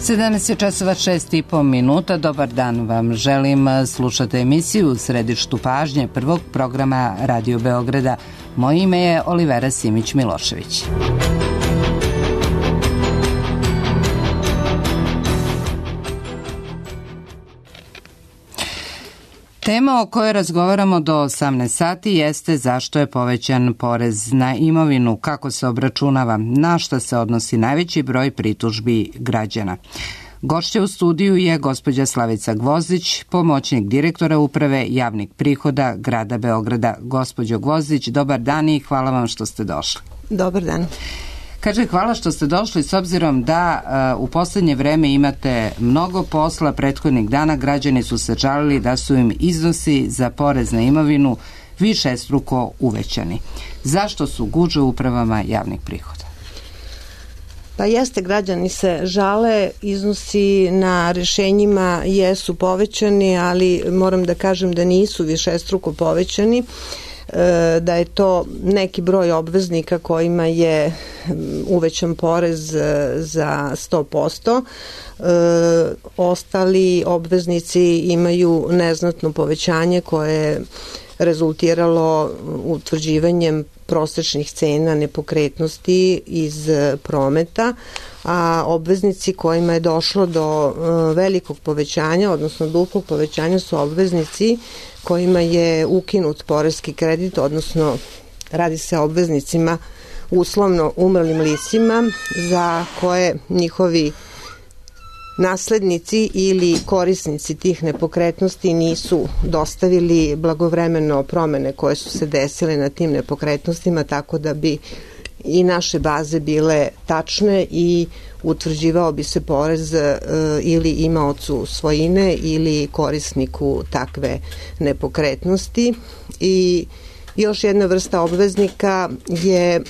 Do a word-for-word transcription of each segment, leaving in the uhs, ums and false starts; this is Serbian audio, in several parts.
sedamnaest časova šest i po minuta. Dobar dan vam želim. Slušate emisiju u središtu pažnje prvog programa Radio Beograda. Moje ime je Olivera Simić-Milošević. Tema o kojoj razgovaramo do osamnaest sati jeste zašto je povećan porez na imovinu, kako se obračunava, na šta se odnosi najveći broj pritužbi građana. Gošća u studiju je gospođa Slavica Gvozdić, pomoćnik direktora Uprave javnih prihoda grada Beograda. Gospođo Gvozdić, dobar dan i hvala vam što ste došli. Dobar dan. Kaže, hvala što ste došli s obzirom da uh, u poslednje vreme imate mnogo posla. Prethodnih dana građani su se žalili da su im iznosi za porez na imovinu višestruko uvećani. Zašto su gužve u upravama javnih prihoda? Pa jeste, građani se žale, iznosi na rešenjima jesu povećani, ali moram da kažem da nisu višestruko povećani, da je to neki broj obveznika kojima je uvećan porez za sto posto. Ostali obveznici imaju neznatno povećanje koje je rezultiralo utvrđivanjem prosečnih cena nepokretnosti iz prometa, a obveznici kojima je došlo do velikog povećanja, odnosno duplog povećanja, su obveznici kojima je ukinut poreski kredit, odnosno radi se o obveznicima uslovno umrlim licima za koje njihovi naslednici ili korisnici tih nepokretnosti nisu dostavili blagovremeno promene koje su se desile na tim nepokretnostima, tako da bi i naše baze bile tačne i utvrđivao bi se porez e, ili imaocu svojine ili korisniku takve nepokretnosti. I još jedna vrsta obveznika je e,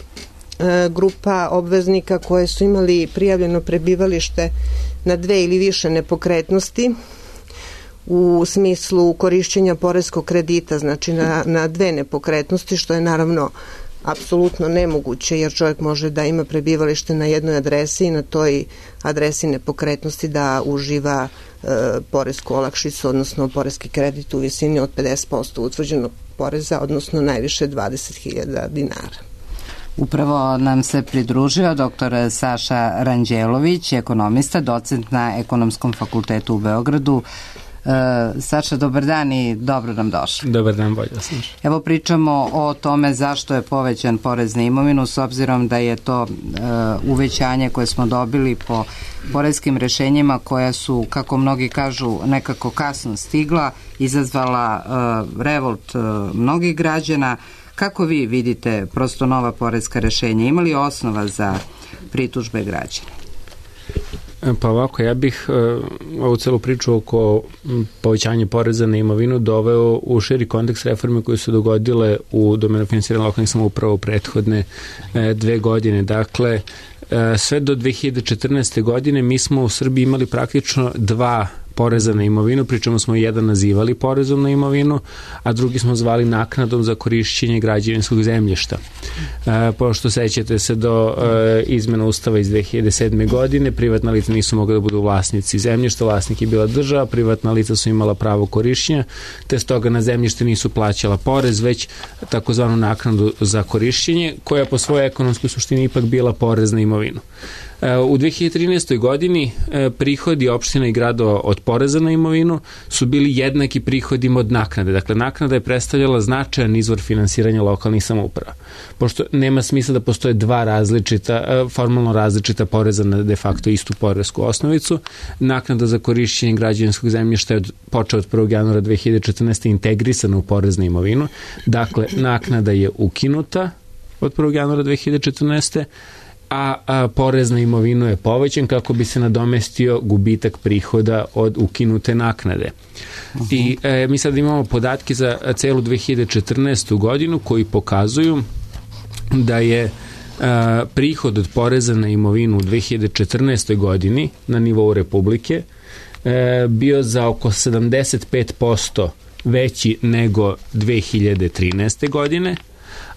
grupa obveznika koje su imali prijavljeno prebivalište na dve ili više nepokretnosti u smislu korišćenja poreskog kredita, znači na, na dve nepokretnosti, što je naravno apsolutno nemoguće, jer čovjek može da ima prebivalište na jednoj adresi i na toj adresi nepokretnosti da uživa e, poresku olakšicu, odnosno poreski kredit u visini od pedeset posto utvrđenog poreza, odnosno najviše dvadeset hiljada dinara. Upravo nam se pridružio doktor Saša Ranđelović, ekonomista, docent na Ekonomskom fakultetu u Beogradu. E, Saša, dobar dan i dobro nam došli. Dobar dan, bolje sam. Evo pričamo o tome zašto je povećan porez na imovinu, s obzirom da je to e, uvećanje koje smo dobili po poreskim rešenjima koja su, kako mnogi kažu, nekako kasno stigla, izazvala e, revolt e, mnogih građana. Kako vi vidite prosto nova poreska rešenja? Ima li osnova za pritužbe građana? Pa ovako, ja bih uh, ovu celu priču oko povećanja poreza na imovinu doveo u širi kontekst reforme koje su dogodile u domenu finansiranja lokalnih samouprava u prethodne uh, dve godine. Dakle, uh, sve do dve hiljade četrnaeste. godine mi smo u Srbiji imali praktično dva poreza na imovinu, pričamo smo jedan nazivali porezom na imovinu, a drugi smo zvali naknadom za korišćenje građevinskog zemljišta. E, pošto sećate se do e, izmena Ustava iz dve hiljade sedme. godine, privatna lica nisu mogli da budu vlasnici zemljišta, vlasnik je bila država, privatna lica su imala pravo korišćenja, te stoga na zemljište nisu plaćala porez, već takozvanu naknadu za korišćenje, koja po svojoj ekonomskoj suštini ipak bila porez na imovinu. U dve hiljade trinaestoj. godini prihodi opština i gradova od poreza na imovinu su bili jednaki prihodima od naknade. Dakle, naknada je predstavljala značajan izvor finansiranja lokalnih samouprava. Pošto nema smisla da postoje dva različita, formalno različita poreza na de facto istu poresku osnovicu, naknada za korišćenje građevinskog zemljišta je od, počeo od prvog januara dve hiljade četrnaeste. integrisana u porez na imovinu. Dakle, naknada je ukinuta od prvog januara dve hiljade četrnaeste. A, a porez na imovinu je povećan kako bi se nadomestio gubitak prihoda od ukinute naknade. Uh-huh. I e, mi sad imamo podatke za celu dve hiljade četrnaestu. godinu koji pokazuju da je a, prihod od poreza na imovinu u dve hiljade četrnaestoj. godini na nivou Republike e, bio za oko sedamdeset pet posto veći nego dve hiljade trinaeste. godine,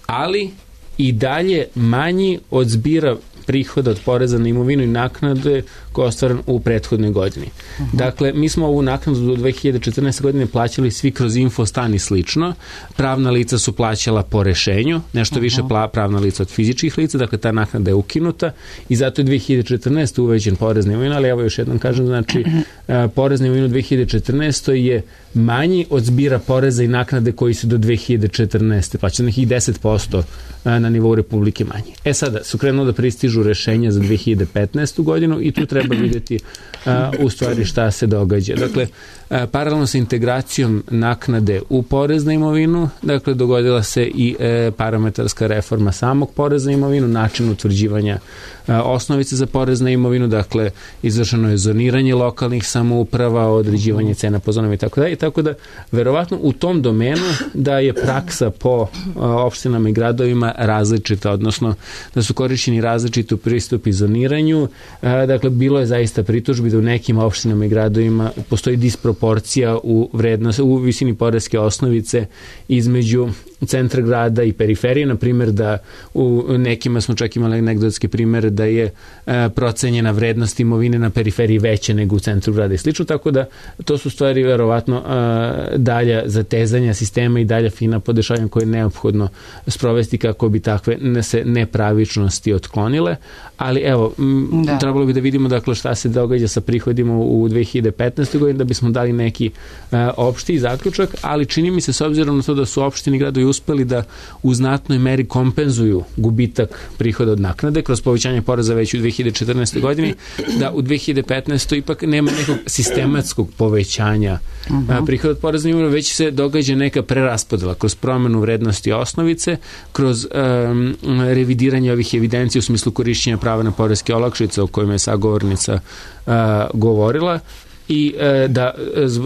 ali i dalje manji od zbira prihoda od poreza na imovinu i naknade koja je ostvaren u prethodnoj godini. Uh-huh. Dakle, mi smo ovu naknadu do dve hiljade četrnaeste. godine plaćali svi kroz infostan i slično. Pravna lica su plaćala po rešenju, nešto uh-huh. više pla, pravna lica od fizičkih lica, dakle ta naknada je ukinuta i zato je dve hiljade četrnaeste. uvećen porez na imovinu, ali evo još jednom kažem, znači uh, porez na imovinu u dve hiljade četrnaeste. je manji od zbira poreza i naknade koji su do dve hiljade četrnaeste. plaćali nekih deset posto na nivou Republike manji. E sada, su krenuo da pristižu rešenja za dve hiljade petnaestu. godinu i tu treba vidjeti a, u stvari šta se događa. Dakle, a, paralelno sa integracijom naknade u porez na imovinu, dakle, dogodila se i e, parametarska reforma samog poreza na imovinu, način utvrđivanja a, osnovice za porez na imovinu, dakle, izvršeno je zoniranje lokalnih samouprava, određivanje cena po zonama i tako da. I tako da, verovatno u tom domenu da je praksa po a, opštinama i gradovima različita, odnosno da su korišćeni različiti pristupi zoniranju. A, dakle, bilo je zaista pritužbi da u nekim opštinama i gradovima postoji disproporcija u vrednosti, u visini poreske osnovice između centra grada i periferije, na primjer da u nekima smo čak imali anegdotske primere da je e, procenjena vrednost imovine na periferiji veća nego u centru grada i slično, tako da to su stvari verovatno e, dalja zatezanja sistema i dalja fina podešavanja koje je neophodno sprovesti kako bi takve ne se nepravičnosti otklonile, ali evo m, da. trebalo bi da vidimo dakle šta se događa sa prihodima u dve hiljade petnaestoj. godini da bismo dali neki e, opšti zaključak, ali čini mi se s obzirom na to da su opštini i gradovi uspeli da u znatnoj meri kompenzuju gubitak prihoda od naknade kroz povećanje poreza već u dve hiljade četrnaestoj. godini, da u dve hiljade petnaestoj. ipak nema nekog sistematskog povećanja uh-huh. prihoda od poreza na imovinu, već se događa neka preraspodela kroz promenu vrednosti osnovice, kroz um, revidiranje ovih evidencija u smislu korišćenja prava na poreske olakšice o kojima je sagovornica uh, govorila, i e, da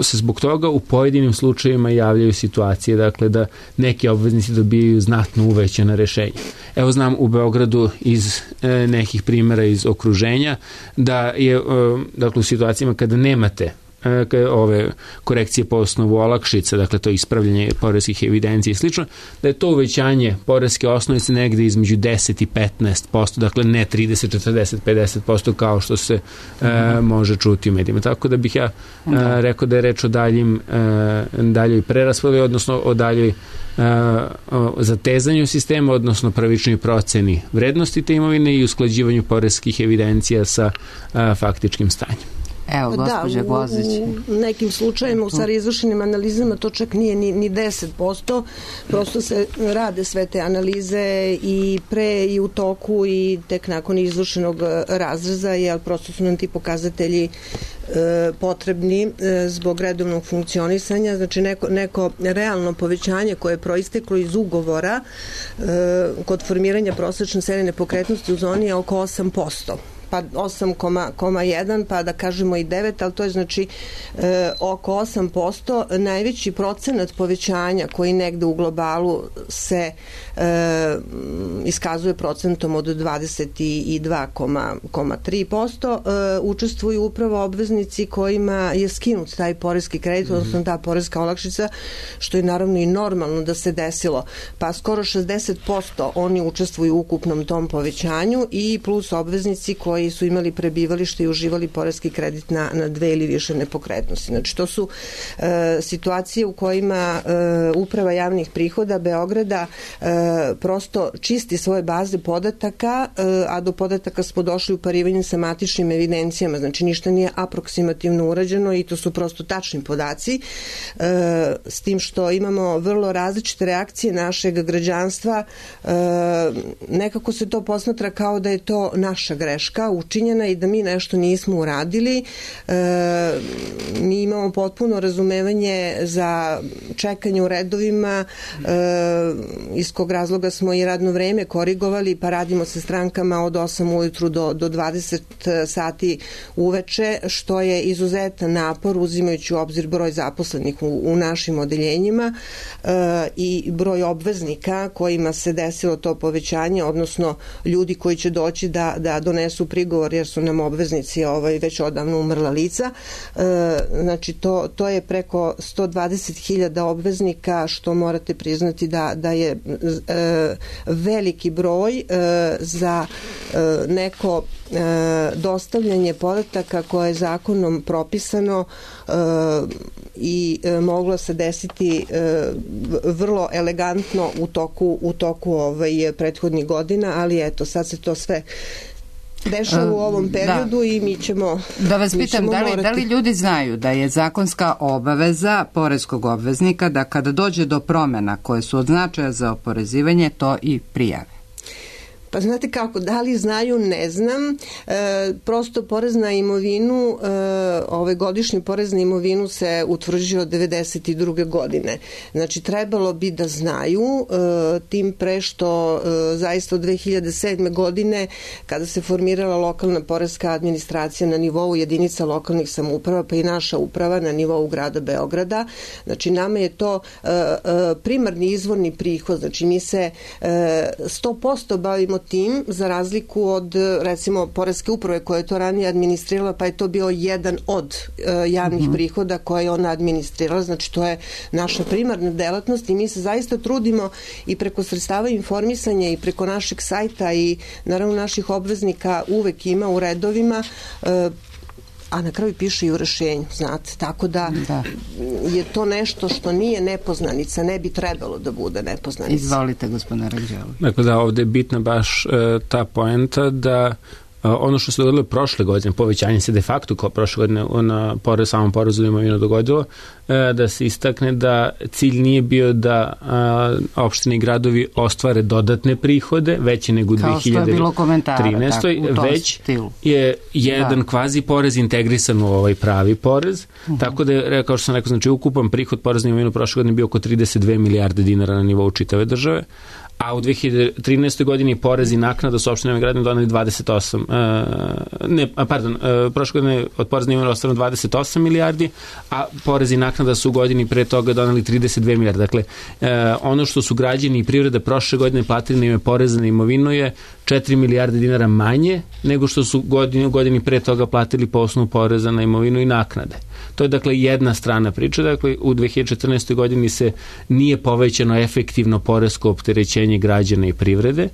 se zbog toga u pojedinim slučajevima javljaju situacije, dakle da neki obveznici dobijaju znatno uvećana rešenja. Evo znam u Beogradu iz e, nekih primjera iz okruženja da je e, dakle u situacijama kada nemate ove korekcije po osnovu olakšice, dakle to ispravljanje poreskih evidencija i slično, da je to uvećanje poreske osnovice negde između deset i petnaest posto, dakle ne trideset, četrdeset, pedeset posto kao što se mm-hmm. e, može čuti u medijima. Tako da bih ja e, rekao da je reč o daljim, e, daljoj preraspodeli, odnosno o daljoj zatezanju sistema, odnosno pravičnoj proceni vrednosti te imovine i usklađivanju poreskih evidencija sa a, faktičkim stanjem. Evo, gospođa Gozić. Da, u nekim slučajima, u stvari izvršenim analizama, to čak nije ni, ni deset posto, prosto se rade sve te analize i pre i u toku i tek nakon izvršenog razreza, jer prosto su nam ti pokazatelji e, potrebni e, zbog redovnog funkcionisanja, znači neko, neko realno povećanje koje je proisteklo iz ugovora e, kod formiranja prosečne cene nepokretnosti u zoni je oko osam posto. Pa osam zarez jedan, pa da kažemo i devet, ali to je znači e, oko osam posto. Najveći procenat povećanja koji negde u globalu se e, iskazuje procentom od dvadeset dva zarez tri posto e, učestvuju upravo obveznici kojima je skinut taj poreski kredit, odnosno ta poreska olakšica, što je naravno i normalno da se desilo. Pa skoro šezdeset posto oni učestvuju u ukupnom tom povećanju i plus obveznici koji koji su imali prebivalište i uživali poreski kredit na, na dve ili više nepokretnosti. Znači, to su e, situacije u kojima e, Uprava javnih prihoda Beograda e, prosto čisti svoje baze podataka, e, a do podataka smo došli u parivanju sa matičnim evidencijama. Znači, ništa nije aproksimativno urađeno i to su prosto tačni podaci, e, s tim što imamo vrlo različite reakcije našeg građanstva. E, nekako se to posmatra kao da je to naša greška učinjena i da mi nešto nismo uradili. E, mi imamo potpuno razumevanje za čekanje u redovima, e, iz kog razloga smo i radno vreme korigovali, pa radimo sa strankama od osam ujutru do, do dvadeset sati uveče, što je izuzetan napor uzimajući u obzir broj zaposlenih u, u našim odeljenjima e, i broj obveznika kojima se desilo to povećanje, odnosno ljudi koji će doći da, da donesu prigovor jer su nam obveznici ovaj, već odavno umrla lica. Znači to, to je preko sto dvadeset hiljada obveznika, što morate priznati da, da je veliki broj za neko dostavljanje podataka koje je zakonom propisano i moglo se desiti vrlo elegantno u toku, u toku ovaj, prethodnih godina, ali eto, sad se to sve dešava u ovom periodu da. I mi ćemo da vas pitam, da li, da li ljudi znaju da je zakonska obaveza poreskog obveznika da kada dođe do promena koje su od značaja za oporezivanje, to i prijave? Pa znate kako, da li znaju, ne znam. E, prosto porez na imovinu, e, ovaj godišnji porez na imovinu se utvrđuje od devedeset druge godine. Znači, trebalo bi da znaju, e, tim pre što e, zaista od dve hiljade sedme godine, kada se formirala lokalna poreska administracija na nivou jedinica lokalnih samouprava, pa i naša uprava na nivou grada Beograda, znači nama je to e, e, primarni izvorni prihod, znači mi se e, sto posto bavimo tim, za razliku od, recimo, poreske uprave koja je to ranije administrirala, pa je to bio jedan od uh, javnih mm-hmm. prihoda koje je ona administrirala, znači to je naša primarna delatnost i mi se zaista trudimo i preko sredstava informisanja i preko našeg sajta i naravno naših obveznika uvek ima u redovima, uh, a na kraju piše i u rešenju, znate, tako da, da je to nešto što nije nepoznanica, ne bi trebalo da bude nepoznanica. Izvolite, gospodine Ranđelović. Dakle, da, ovde je bitna baš e, ta poenta da ono što se dogodilo prošle godine, povećanje se de facto kao prošle godine na porez, samom porezu imovinu dogodilo, da se istakne da cilj nije bio da opštine i gradovi ostvare dodatne prihode, veće nego u dve hiljade trinaestoj već stilu. Je jedan da. kvazi porez integrisan u ovaj pravi porez, uh-huh. tako da je, kao što sam rekao, znači ukupan prihod poreza na imovinu prošle godine bio oko trideset dve milijarde dinara na nivou čitave države, a u dve hiljade trinaestoj godini porez i naknada su opštinama i gradovima doneli dvadeset osam, uh, ne, pardon, uh, prošle godine od poreza na imovinu ostvareno dvadeset osam milijardi, a porez i naknada su u godini pre toga doneli trideset dve milijarde. Dakle, uh, ono što su građani i privreda prošle godine platili na ime poreza na imovinu je četiri milijarde dinara manje nego što su godini, u godini pre toga platili po osnovu poreza na imovinu i naknade. To je dakle jedna strana priče, dakle u dve hiljade četrnaestoj godini se nije povećano efektivno poresko opterećenje građana i privrede,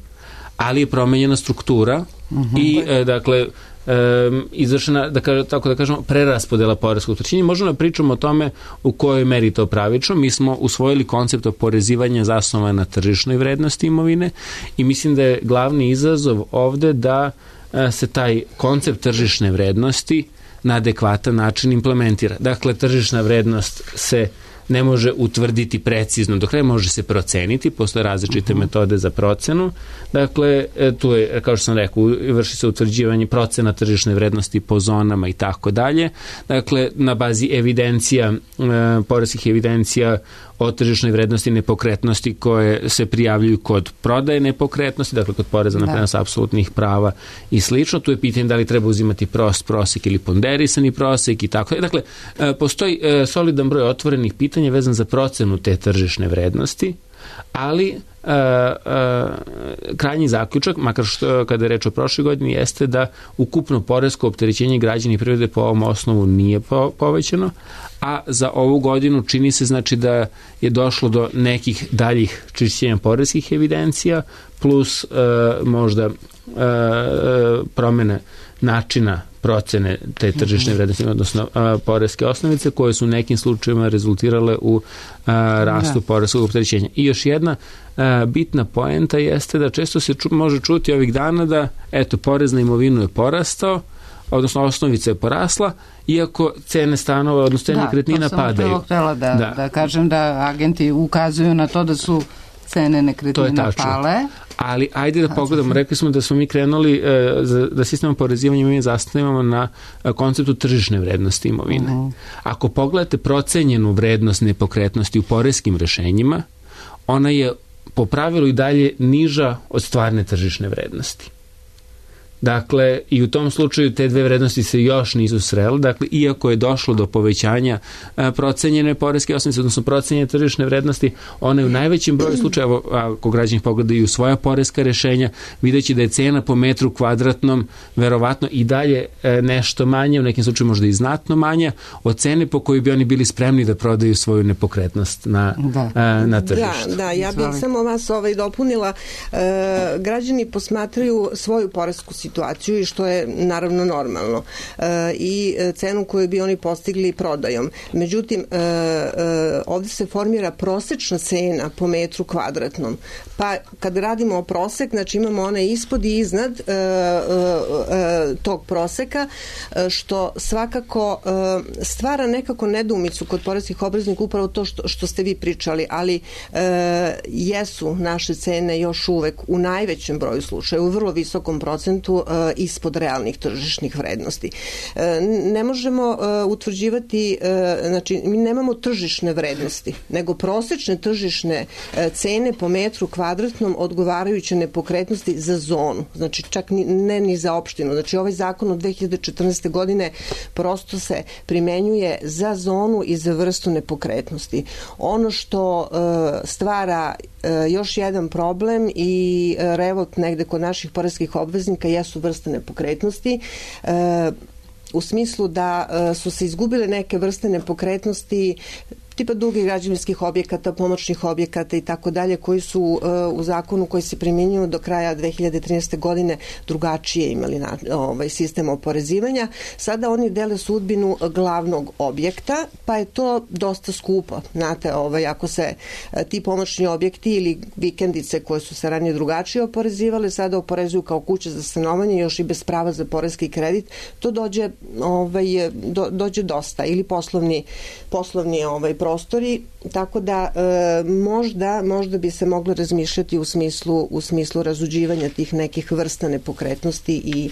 ali je promenjena struktura uh-huh. i e, dakle Um, izvršena, da kažem, tako da kažemo, preraspodela poreskog opterećenja. Možemo da pričamo o tome u kojoj meri to pravično. Mi smo usvojili koncept oporezivanja zasnovan na tržišnoj vrednosti imovine i mislim da je glavni izazov ovde da uh, se taj koncept tržišne vrednosti na adekvatan način implementira. Dakle, tržišna vrednost se ne može utvrditi precizno, do kraja može se proceniti, postoje različite uh-huh. metode za procenu. Dakle, tu je, kao što sam rekao, vrši se utvrđivanje procena tržišne vrednosti po zonama i tako dalje. Dakle, na bazi evidencija, e, poreskih evidencija o tržišnoj vrednosti nepokretnosti koje se prijavljuju kod prodaje nepokretnosti, dakle kod poreza na prenos apsolutnih prava i slično. Tu je pitanje da li treba uzimati prost prosek ili ponderisani prosek i tako. Dakle, postoji solidan broj otvorenih pitanja vezan za procenu te tržišne vrednosti, ali Uh, uh, krajnji zaključak, makar što kada je reč o prošloj godini, jeste da ukupno poresko opterećenje građana i privrede po ovom osnovu nije po, povećano, a za ovu godinu čini se znači da je došlo do nekih daljih čišćenja poreskih evidencija plus uh, možda uh, promene načina procene te tržišne vrednosti, odnosno a, poreske osnovice, koje su u nekim slučajevima rezultirale u a, rastu da. poreskog opterećenja. I još jedna a, bitna poenta jeste da često se ču, može čuti ovih dana da, eto, porez na imovinu je porastao, odnosno osnovica je porasla, iako cene stanova, odnosno cene nekretnina padaju. Da, to sam htjela da, da. da kažem da agenti ukazuju na to da su cene nekretnina pale. Ali ajde da pogledamo, rekli smo da smo mi krenuli e, za, da sistem oporezivanja imovine zasnivamo na e, konceptu tržišne vrednosti imovine. Uh-huh. Ako pogledate procenjenu vrednost nepokretnosti u poreskim rešenjima, ona je po pravilu i dalje niža od stvarne tržišne vrednosti. Dakle, i u tom slučaju te dve vrednosti se još nisu srele. Dakle, iako je došlo do povećanja a, procenjene poreske osnovice, odnosno procenjene tržišne vrednosti, one u najvećem broju slučajeva, ako građani pogledaju svoja poreska rešenja, videći da je cena po metru kvadratnom verovatno i dalje e, nešto manje, u nekim slučaju možda i znatno manja od cene po kojoj bi oni bili spremni da prodaju svoju nepokretnost na, da. a, na tržištu. Da, da, ja bih Zvali. samo vas ovaj dopunila. E, građani posmatraju svoju poresku situaciju i što je naravno normalno e, i cenu koju bi oni postigli prodajom. Međutim, e, e, ovde se formira prosečna cena po metru kvadratnom. Pa kad radimo o prosek, znači imamo one ispod i iznad e, e, tog proseka, što svakako e, stvara nekako nedoumicu kod poreskih obveznika, upravo to što, što ste vi pričali, ali e, jesu naše cene još uvek u najvećem broju slučaja, u vrlo visokom procentu e, ispod realnih tržišnih vrednosti. E, ne možemo e, utvrđivati, e, znači mi nemamo tržišne vrednosti, nego prosečne tržišne e, cene po metru kvadratnom odgovarajuće nepokretnosti za zonu, znači čak ni, ne ni za opštinu. Znači ovaj zakon od dve hiljade četrnaeste. godine prosto se primenjuje za zonu i za vrstu nepokretnosti. Ono što e, stvara e, još jedan problem i e, revolt negde kod naših poreskih obveznika jesu vrste nepokretnosti. E, u smislu da e, su se izgubile neke vrste nepokretnosti tipa drugih građevinskih objekata, pomoćnih objekata i tako dalje, koji su uh, u zakonu koji se primjenjuju do kraja dve hiljade trinaeste. godine drugačije imali na, ovaj, sistem oporezivanja. Sada oni dele sudbinu glavnog objekta, pa je to dosta skupo. Znate, ovaj, ako se uh, ti pomoćni objekti ili vikendice koje su se ranije drugačije oporezivale, sada oporezuju kao kuće za stanovanje, još i bez prava za poreski kredit, to dođe, ovaj, do, dođe dosta. Ili poslovni, poslovni ovaj, prostori, tako da e, možda, možda bi se moglo razmišljati u smislu, u smislu razuđivanja tih nekih vrsta nepokretnosti i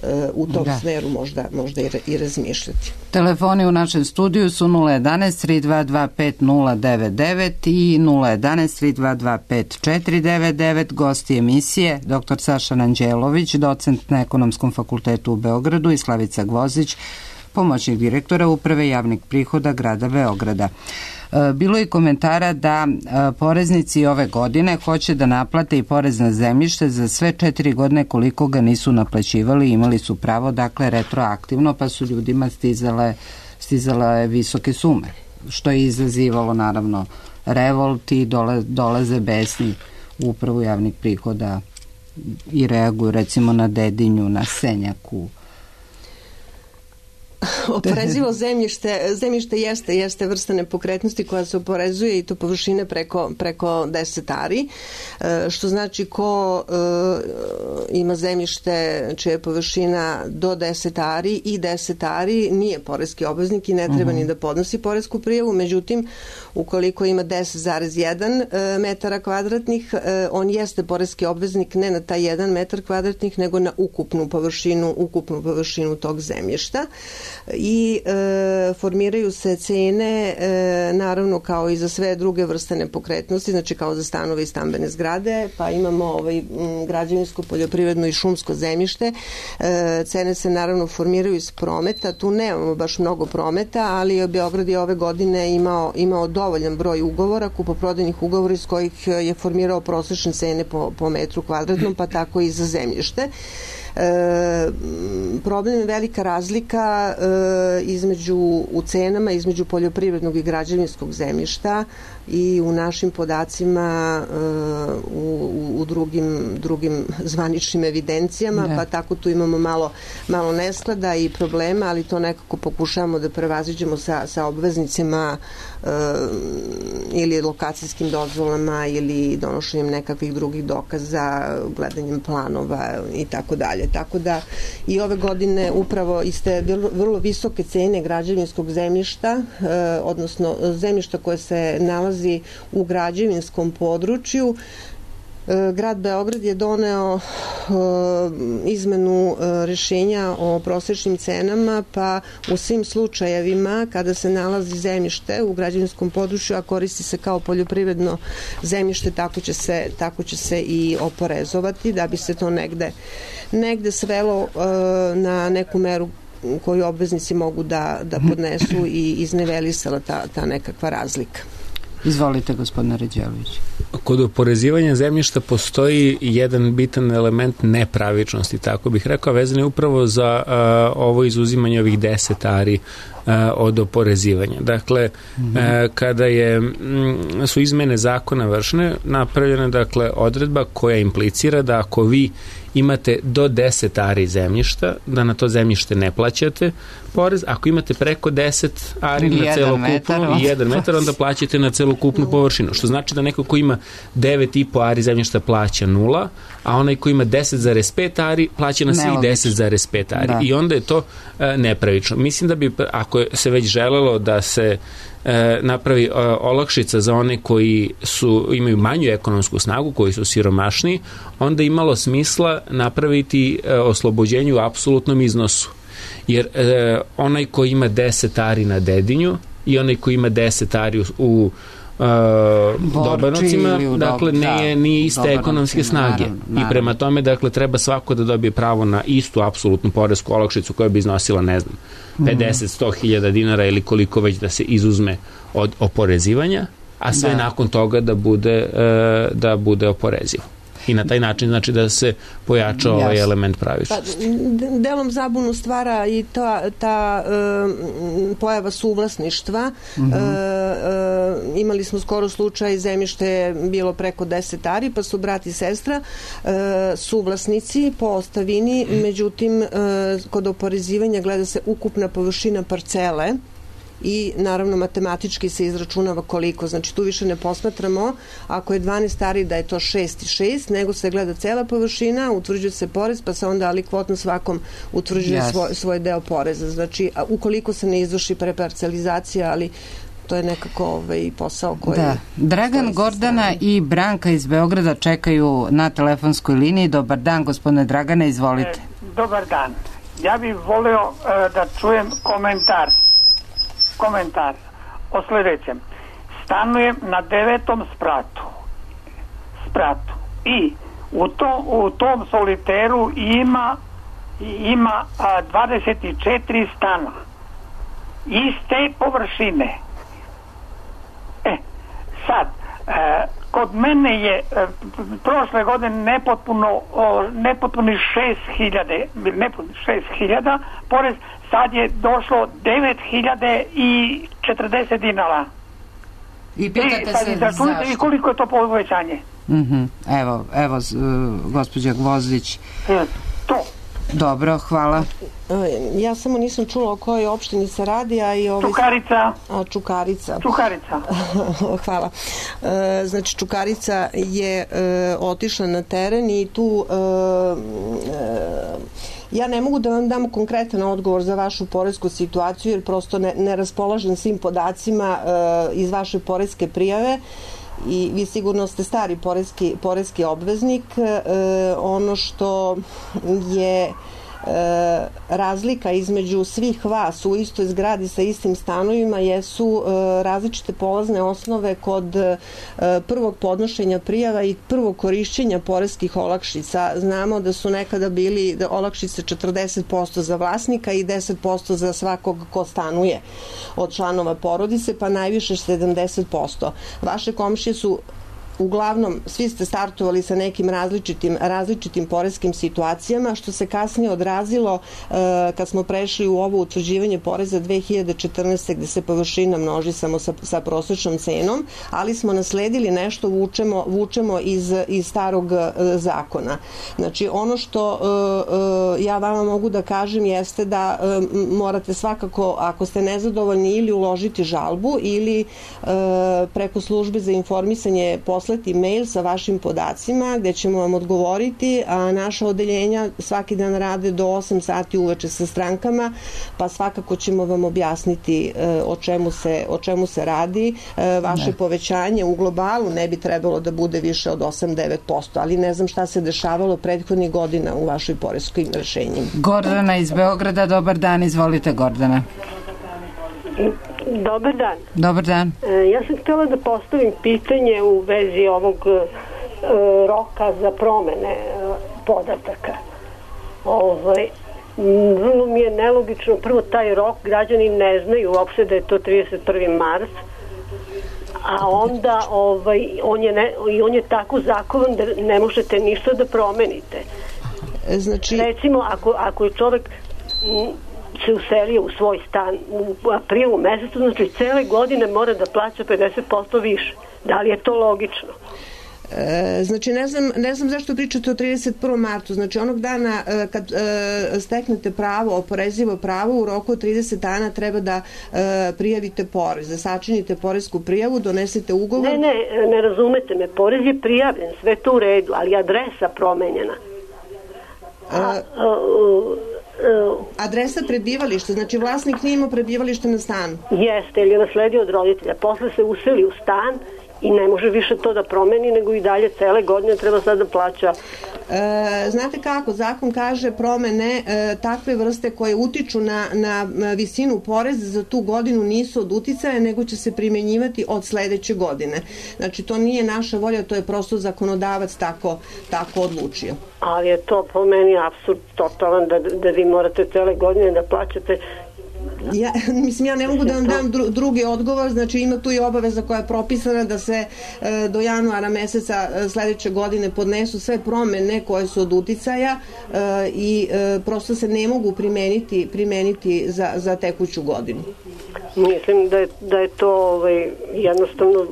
e, u tom da. smeru možda, možda i, i razmišljati. Telefoni u našem studiju su nula jedanaest tri dva dva pet nula devet devet i nula jedanaest tri dva dva pet četiri devet devet. Gosti emisije doktor Saša Ranđelović, docent na Ekonomskom fakultetu u Beogradu, i Slavica Gvozić, pomoćnik direktora Uprave javnih prihoda grada Beograda. Bilo je komentara da poreznici ove godine hoće da naplate i porez na zemljište za sve četiri godine koliko ga nisu naplaćivali, imali su pravo, dakle, retroaktivno, pa su ljudima stizale, stizale visoke sume, što je izazivalo naravno revolt i dole, dolaze besni u Upravu javnih prihoda i reaguju recimo na Dedinju, na Senjaku. Oporezivo zemljište, zemljište jeste, jeste vrsta nepokretnosti koja se oporezuje i to površine preko, preko deset ari, što znači ko e, ima zemljište čija je površina do deset ari i deset ari nije poreski obveznik i ne treba uh-huh. ni da podnosi poresku prijavu. Međutim, ukoliko ima deset zarez jedan metara kvadratnih, on jeste poreski obveznik ne na taj jedan metar kvadratnih, nego na ukupnu površinu, ukupnu površinu tog zemljišta. I e, formiraju se cene e, naravno kao i za sve druge vrste nepokretnosti, znači kao za stanove i stambene zgrade, pa imamo ovaj, m, građevinsko, poljoprivredno i šumsko zemljište. E, cene se naravno formiraju iz prometa, tu nemamo baš mnogo prometa, ali Beograd je ove godine imao, imao dovoljan broj ugovora, kupoprodajnih ugovora iz kojih je formirao prosečne cene po, po metru kvadratnom, pa tako i za zemljište. E, problem je velika razlika e, između u cenama između poljoprivrednog i građevinskog zemljišta i u našim podacima e, u, u drugim, drugim zvaničnim evidencijama, ne. pa tako tu imamo malo, malo nesklada i problema, ali to nekako pokušavamo da prevaziđemo sa, sa obveznicima e, ili lokacijskim dozvolama ili donošenjem nekakvih drugih dokaza, gledanjem planova i tako dalje. Tako da i ove godine upravo iste vrlo visoke cene građevinskog zemljišta, eh, odnosno zemljišta koje se nalazi u građevinskom području, Grad Beograd je doneo izmenu rešenja o prosečnim cenama, pa u svim slučajevima kada se nalazi zemljište u građevinskom području, a koristi se kao poljoprivredno zemljište, tako će se, tako će se i oporezovati, da bi se to negde, negde svelo na neku meru koju obveznici mogu da, da podnesu i iznevelisala ta, ta nekakva razlika. Izvolite, gospodine Ređelović. Kod oporezivanja zemljišta postoji jedan bitan element nepravičnosti, tako bih rekao, vezan je upravo za a, ovo izuzimanje ovih deset ari a, od oporezivanja. Dakle, mm-hmm. a, kada je, m, su izmene zakona vršene, napravljena dakle odredba koja implicira da ako vi imate do deset ari zemljišta, da na to zemljište ne plaćate porez. Ako imate preko deset ari na celokupnu i jedan metar, onda plaćate na celokupnu površinu. Što znači da neko ko ima devet i po ari zemljišta plaća nula, a onaj ko ima deset zarez pet ari plaća na svih deset zarez pet ari. Da. I onda je to e, nepravično. Mislim da bi, ako se već želelo da se e, napravi e, olakšica za one koji su, imaju manju ekonomsku snagu, koji su siromašniji, onda imalo smisla napraviti e, oslobođenje u apsolutnom iznosu. Jer e, onaj ko ima deset ari na Dedinju i onaj ko ima deset ari u, u Uh, Dobanovcima, dakle nije, nije iste ekonomske snage. Naravno, naravno. I prema tome, dakle, treba svako da dobije pravo na istu apsolutnu poresku olakšicu koja bi iznosila, ne znam, pedeset do sto hiljada dinara ili koliko već da se izuzme od oporezivanja, a sve da. nakon toga da bude, uh, da bude oporezivo. I na taj način znači da se pojača ovaj Jasne. element pravičnosti. Pa, delom zabunu stvara i ta, ta e, pojava suvlasništva. Mm-hmm. E, e, imali smo skoro slučaj, zemljište je bilo preko deset ari, pa su brat i sestra e, suvlasnici po ostavini, međutim e, kod oporezivanja gleda se ukupna površina parcele i naravno matematički se izračunava koliko, znači tu više ne posmatramo ako je dvanaest ari da je to šest i šest, nego se gleda cela površina, utvrđuje se porez, pa se onda alikvotno svakom utvrđuje yes. svoj, svoj deo poreza, znači ukoliko se ne izvrši preparcelizacija, ali to je nekako ovaj posao koji... Da. Dragan, Gordana i Branka iz Beograda čekaju na telefonskoj liniji. Dobar dan, gospodine Dragane, izvolite. E, dobar dan. Ja bih voleo e, da čujem komentar komentar o sljedećem. Stanujem na devetom spratu spratu i u, to, u tom soliteru ima ima a, dvadeset četiri stana iste površine. E, sad e, kod mene je e, prošle godine nepotpuno o, nepotpuni šest hiljada nepotpuno šest hiljada porez, sad je došlo devet hiljada četrdeset dinara. I pitate se zašto? I koliko je to povećanje? Mm-hmm. Evo, evo uh, gospođa Gvozdić. E, to. Dobro, hvala. Ja samo nisam čula o kojoj opštini se radi, a i ovaj... Čukarica. A, Čukarica. Čukarica. Hvala. E, znači, Čukarica je e, otišla na teren i tu... E, e, ja ne mogu da vam dam konkretan odgovor za vašu poresku situaciju, jer prosto ne, ne raspolažem svim podacima e, iz vaše poreske prijave i vi sigurno ste stari poreski, poreski obveznik. E, ono što je E, razlika između svih vas u istoj zgradi sa istim stanovima jesu e, različite polazne osnove kod e, prvog podnošenja prijava i prvog korišćenja poreskih olakšica. Znamo da su nekada bili da olakšice četrdeset posto za vlasnika i deset posto za svakog ko stanuje od članova porodice, pa najviše sedamdeset posto. Vaše komšije su uglavnom, svi ste startovali sa nekim različitim, različitim poreskim situacijama, što se kasnije odrazilo e, kad smo prešli u ovo utvrđivanje poreza dve hiljade četrnaeste. gde se površina množi samo sa, sa prosečnom cenom, ali smo nasledili nešto, vučemo, vučemo iz, iz starog e, zakona. Znači, ono što e, e, ja vama mogu da kažem jeste da e, morate svakako, ako ste nezadovoljni, ili uložiti žalbu ili e, preko službe za informisanje posljedno poslati mail sa vašim podacima gde ćemo vam odgovoriti, a naša odeljenja svaki dan rade do osam sati uveče sa strankama, pa svakako ćemo vam objasniti o čemu se, o čemu se radi. Vaše ne. povećanje u globalu ne bi trebalo da bude više od osam do devet posto, ali ne znam šta se dešavalo prethodnih godina u vašoj poreskoj rešenjima. Gordana iz Beograda, dobar dan, izvolite Gordana. Dobar dan. Dobar dan. E, ja sam htjela da postavim pitanje u vezi ovog e, roka za promene e, podataka. Ovaj, vrlo mi je nelogično, prvo taj rok građani ne znaju uopšte da je to trideset prvi mart, a onda ovaj, on, je ne, i on je tako zakovan da ne možete ništa da promenite. Znači... Recimo, ako, ako je čovek m, se uselio u svoj stan u aprilu mesecu, znači cele godine mora da plaća pedeset posto više. Da li je to logično? E, znači ne znam, ne znam zašto pričate o trideset prvom martu, znači onog dana e, kad e, steknete pravo, oporezivo pravo, u roku od trideset dana treba da e, prijavite porez, da sačinite poresku prijavu, donesete ugovor. Ne, ne, ne razumete me, porez je prijavljen, sve to u redu, ali adresa promenjena. A, a, a, a, adresa prebivališta, znači vlasnik nije imao prebivalište na stanu. Jeste, ili je nasledio od roditelja, posle se useli u stan i ne može više to da promeni, nego i dalje cele godine treba sad da plaća. E, znate kako, zakon kaže promene e, takve vrste koje utiču na, na visinu poreza za tu godinu nisu od uticaja, nego će se primenjivati od sledeće godine. Znači to nije naša volja, to je prosto zakonodavac tako, tako odlučio. Ali je to po meni apsurd totalan da, da vi morate cele godine da plaćate. Ja, mislim, ja ne mogu da vam dam dru, drugi odgovor, znači ima tu i obaveza koja je propisana da se e, do januara meseca e, sledeće godine podnesu sve promene koje su od uticaja e, i e, prosto se ne mogu primeniti, primeniti za, za tekuću godinu. Mislim da je, da je to ovaj, jednostavno...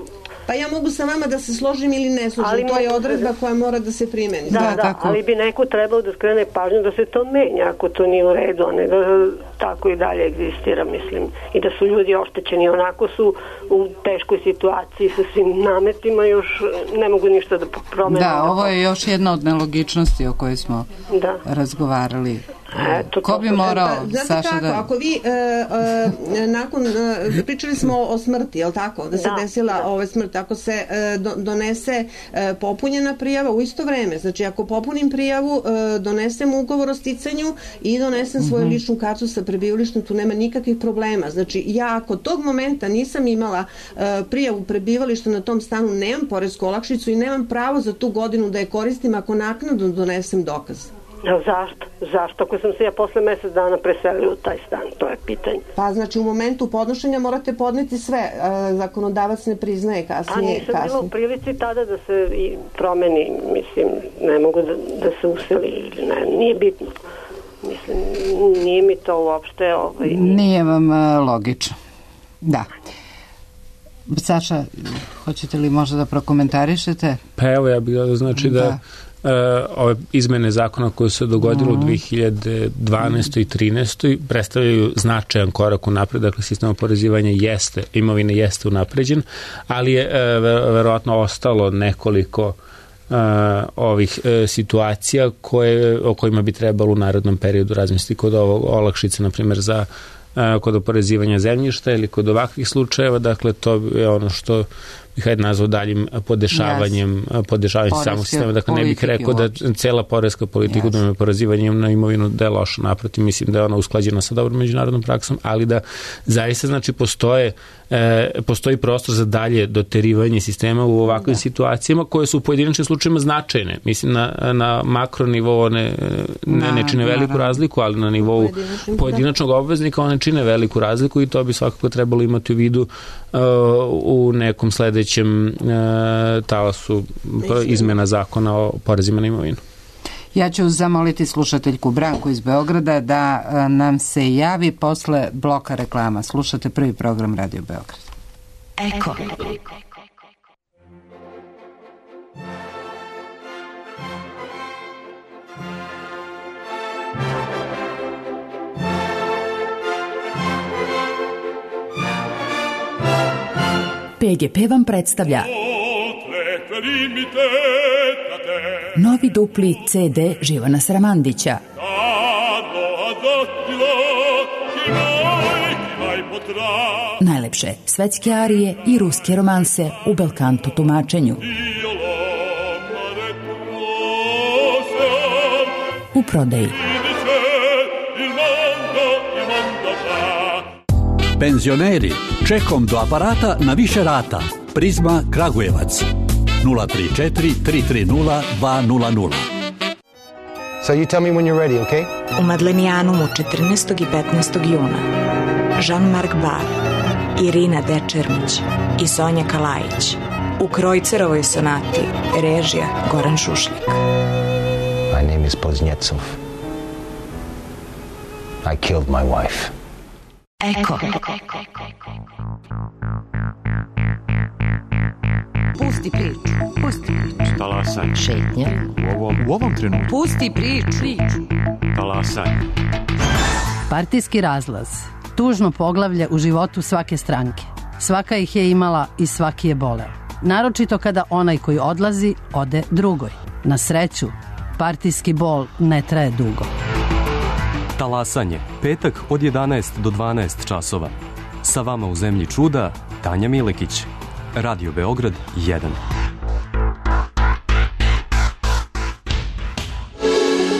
Pa ja mogu sa vama da se složim ili ne složim, ali to je odredba da... koja mora da se primeni. Da, da, da, ali bi neko trebao da skrene pažnju da se to menja, ako to nije u redu, a ne da tako i dalje egzistira, mislim. I da su ljudi oštećeni, onako su u teškoj situaciji sa svim nametima, još ne mogu ništa da promene. Da, ovo je još jedna od nelogičnosti o kojoj smo da. razgovarali. Eto, ko bi morao, pa, Saša, kako, da... ako vi e, e, nakon, e, pričali smo o smrti, je li tako? Da se da, desila da. ova smrt, ako se e, do, donese e, popunjena prijava u isto vreme, znači ako popunim prijavu, e, donesem ugovor o sticanju i donesem svoju mm-hmm. ličnu kartu sa prebivalištem, tu nema nikakvih problema. Znači ja ako tog momenta nisam imala e, prijavu prebivališta na tom stanu, nemam poresku olakšicu i nemam pravo za tu godinu da je koristim ako naknadno donesem dokaz. Zašto? Zašto? Ako sam se ja posle mesec dana preselila u taj stan, to je pitanje. Pa znači u momentu podnošenja morate podneti sve, zakonodavac ne priznaje kasnije. A nisam kasnije. Bila u prilici tada da se i promeni, mislim, ne mogu da, da se useli ili ne, nije bitno. Mislim, nije mi to uopšte... Ovaj, nije vam uh, logično. Da. Saša, hoćete li možda da prokomentarišete? Pa evo, ja bih da znači da, da Uh, ove izmene zakona koje se dogodilo mm. u dve hiljade dvanaestoj i trinaestoj predstavljaju značajan korak u napred, dakle sistem oporezivanja jeste, imovine jeste unapređen, ali je uh, verovatno ostalo nekoliko uh, ovih uh, situacija koje, o kojima bi trebalo u narednom periodu razmisliti kod ovog olakšice, na primjer za uh, kod oporezivanja zemljišta ili kod ovakvih slučajeva, dakle to je ono što bih hajde nazvao daljim podešavanjem, yes. podešavanjem samog sistema. Dakle, ne bih rekao da cela poreska politika yes. u oporezivanjem na imovinu da je loša, naprotiv, mislim da je ona usklađena sa dobrom međunarodnom praksom, ali da zaista znači postoje e, postoji prostor za dalje doterivanje sistema u ovakvim da. situacijama koje su u pojedinačnim slučajima značajne. Mislim, na, na makro nivou ne, ne, ne čine veliku razliku, ali na nivou pojedinačnog obveznika one čine veliku razliku i to bi svakako trebalo imati u vidu uh, u nekom sledećem uh, talasu izmena zakona o porezima na imovinu. Ja ću zamoliti slušateljku Branku iz Beograda da uh, nam se javi posle bloka reklama. Slušate prvi program Radio Beograd. Eko. P G P vam predstavlja Novi dupli ce de Živana Sramandića. Najlepše svetske arije i ruske romanse u belkanto tumačenju. U prodaji. Penzioneri, čekom do aparata na više rata. Prizma Kragujevac. nula tri četiri tri tri nula dva nula nula. So you tell me when you're ready, okay? U Madlenijanumu četrnaestog i petnaestog juna Jean-Marc Bar, Irina Dečermić i Sonja Kalajić u Krojcerovoj sonati, režija Goran Šušljak. My name is Poznjecov. I killed my wife. Eko. Pusti priču, pusti priču. Talasaj. Šetnja. U ovom, u ovom trenutku. Pusti priču. Talasaj. Partijski razlaz. Tužno poglavlje u životu svake stranke. Svaka ih je imala i svaki je boleo. Naročito kada onaj koji odlazi, ode drugoj. Na sreću, partijski bol ne traje dugo. Talasanje, petak od jedanaest do dvanaest časova. Sa vama u zemlji čuda, Tanja Milekić. Radio Beograd jedan.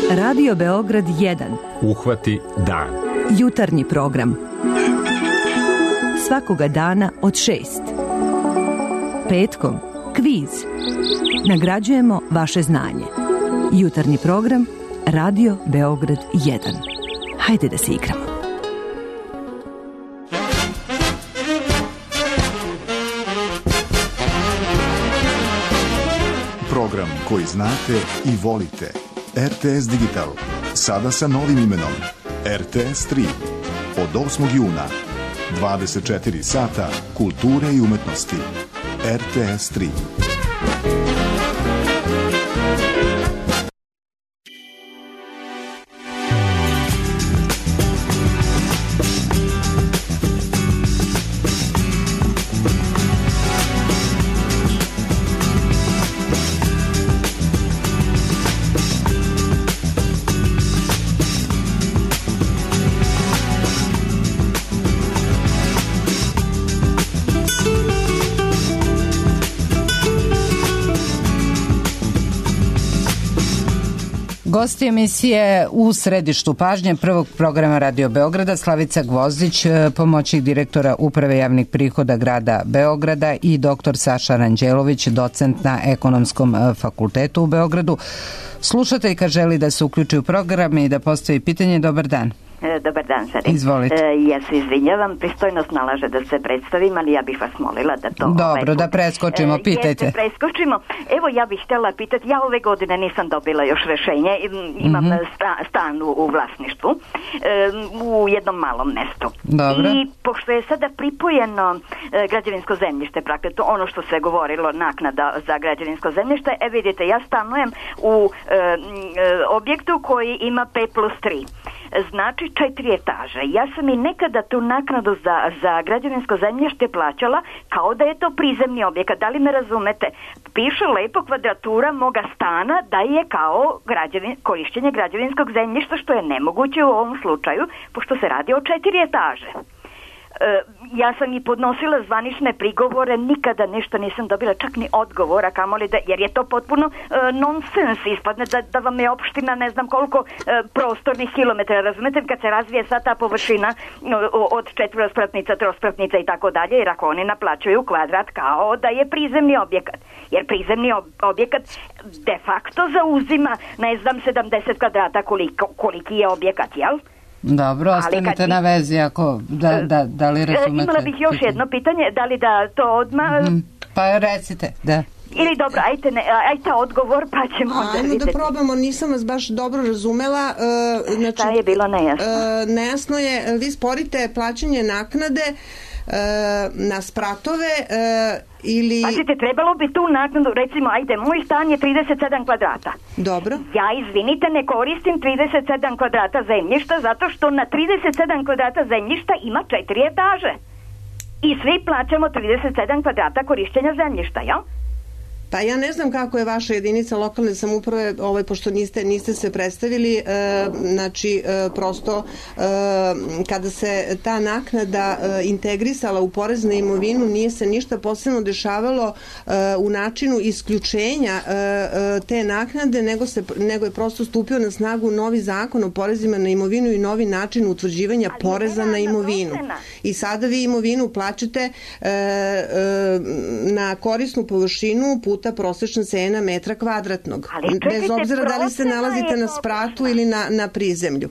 Radio Beograd jedan. Uhvati dan. Jutarnji program. Svakoga dana od šest. Petkom kviz. Nagrađujemo vaše znanje. Jutarnji program Radio Beograd jedan. Hajde da se igramo. Program koji znate i volite. er te es Digital. Sada sa novim imenom. er te es tri. Od osmog juna. dvadeset četiri sata kulture i umetnosti. er te es tri. Gosti emisije u središtu pažnje prvog programa Radio Beograda Slavica Gvozdić, pomoćnik direktora Uprave javnih prihoda grada Beograda, i doktor Saša Ranđelović, docent na Ekonomskom fakultetu u Beogradu. Slušateljka želi da se uključi u program i da postavi pitanje. Dobar dan. Dobar dan, Sari. Izvolite. E, ja se izvinjavam, pristojnost nalaže da se predstavim, ali ja bih vas molila da to... Dobro, ovaj, da preskočimo, pitajte. Jeste, preskočimo. Evo, ja bih htjela pitati, ja ove godine nisam dobila još rešenje, imam mm-hmm. sta, stan u, u vlasništvu, e, u jednom malom mestu. Dobro. I pošto je sada pripojeno e, građevinsko zemljište, praktično ono što se govorilo, naknada za građevinsko zemljište, e vidite, ja stanujem u e, e, objektu koji ima pet plus tri. Znači četiri etaže. Ja sam i nekada tu naknadu za, za građevinsko zemljište plaćala kao da je to prizemni objekat. Da li me razumete? Piše lepo kvadratura moga stana da je kao građevin, korišćenje građevinskog zemljišta, što je nemoguće u ovom slučaju, pošto se radi o četiri etaže. Ja sam i podnosila zvanične prigovore, nikada ništa nisam dobila, čak ni odgovora, kamoli da, jer je to potpuno uh, nonsens, ispadne da, da vam je opština ne znam koliko uh, prostornih kilometara, razumete, kad se razvije sva ta površina uh, od četvorospratnica, trospratnica i tako dalje, jer ako oni naplaćuju kvadrat kao da je prizemni objekat, jer prizemni objekat de facto zauzima, ne znam, sedamdeset kvadrata koliko, koliki je objekat, jel? Dobro, ostanite na vezi ako da, da, da li razumete. Imala bih još jedno pitanje, da li da to odmah... Mm, pa recite, da. Ili dobro, ajte, ne, ajte odgovor pa ćemo onda Ajmo vidjeti. da probamo, nisam vas baš dobro razumela. Uh, znači, Šta je bilo nejasno? Uh, nejasno je, vi sporite plaćanje naknade uh, na spratove uh, ili... Pazite, trebalo bi tu naknadu, recimo, ajde, moj stan je trideset sedam kvadrata. Dobro. Ja, izvinite, ne koristim trideset sedam kvadrata zemljišta zato što na trideset sedam kvadrata zemljišta ima četiri etaže. I svi plaćamo trideset sedam kvadrata korišćenja zemljišta, jel? Pa ja ne znam kako je vaša jedinica lokalne samouprave, ovaj, pošto niste, niste se predstavili, e, znači e, prosto e, kada se ta naknada e, integrisala u porez na imovinu, nije se ništa posebno dešavalo e, u načinu isključenja e, e, te naknade, nego, se, nego je prosto stupio na snagu novi zakon o porezima na imovinu i novi način utvrđivanja ali poreza na imovinu. Procena. I sada vi imovinu plaćate e, e, na korisnu površinu puta prosečna cena metra kvadratnog. Čekajte, bez obzira da li se nalazite na spratu ili na, na prizemlju.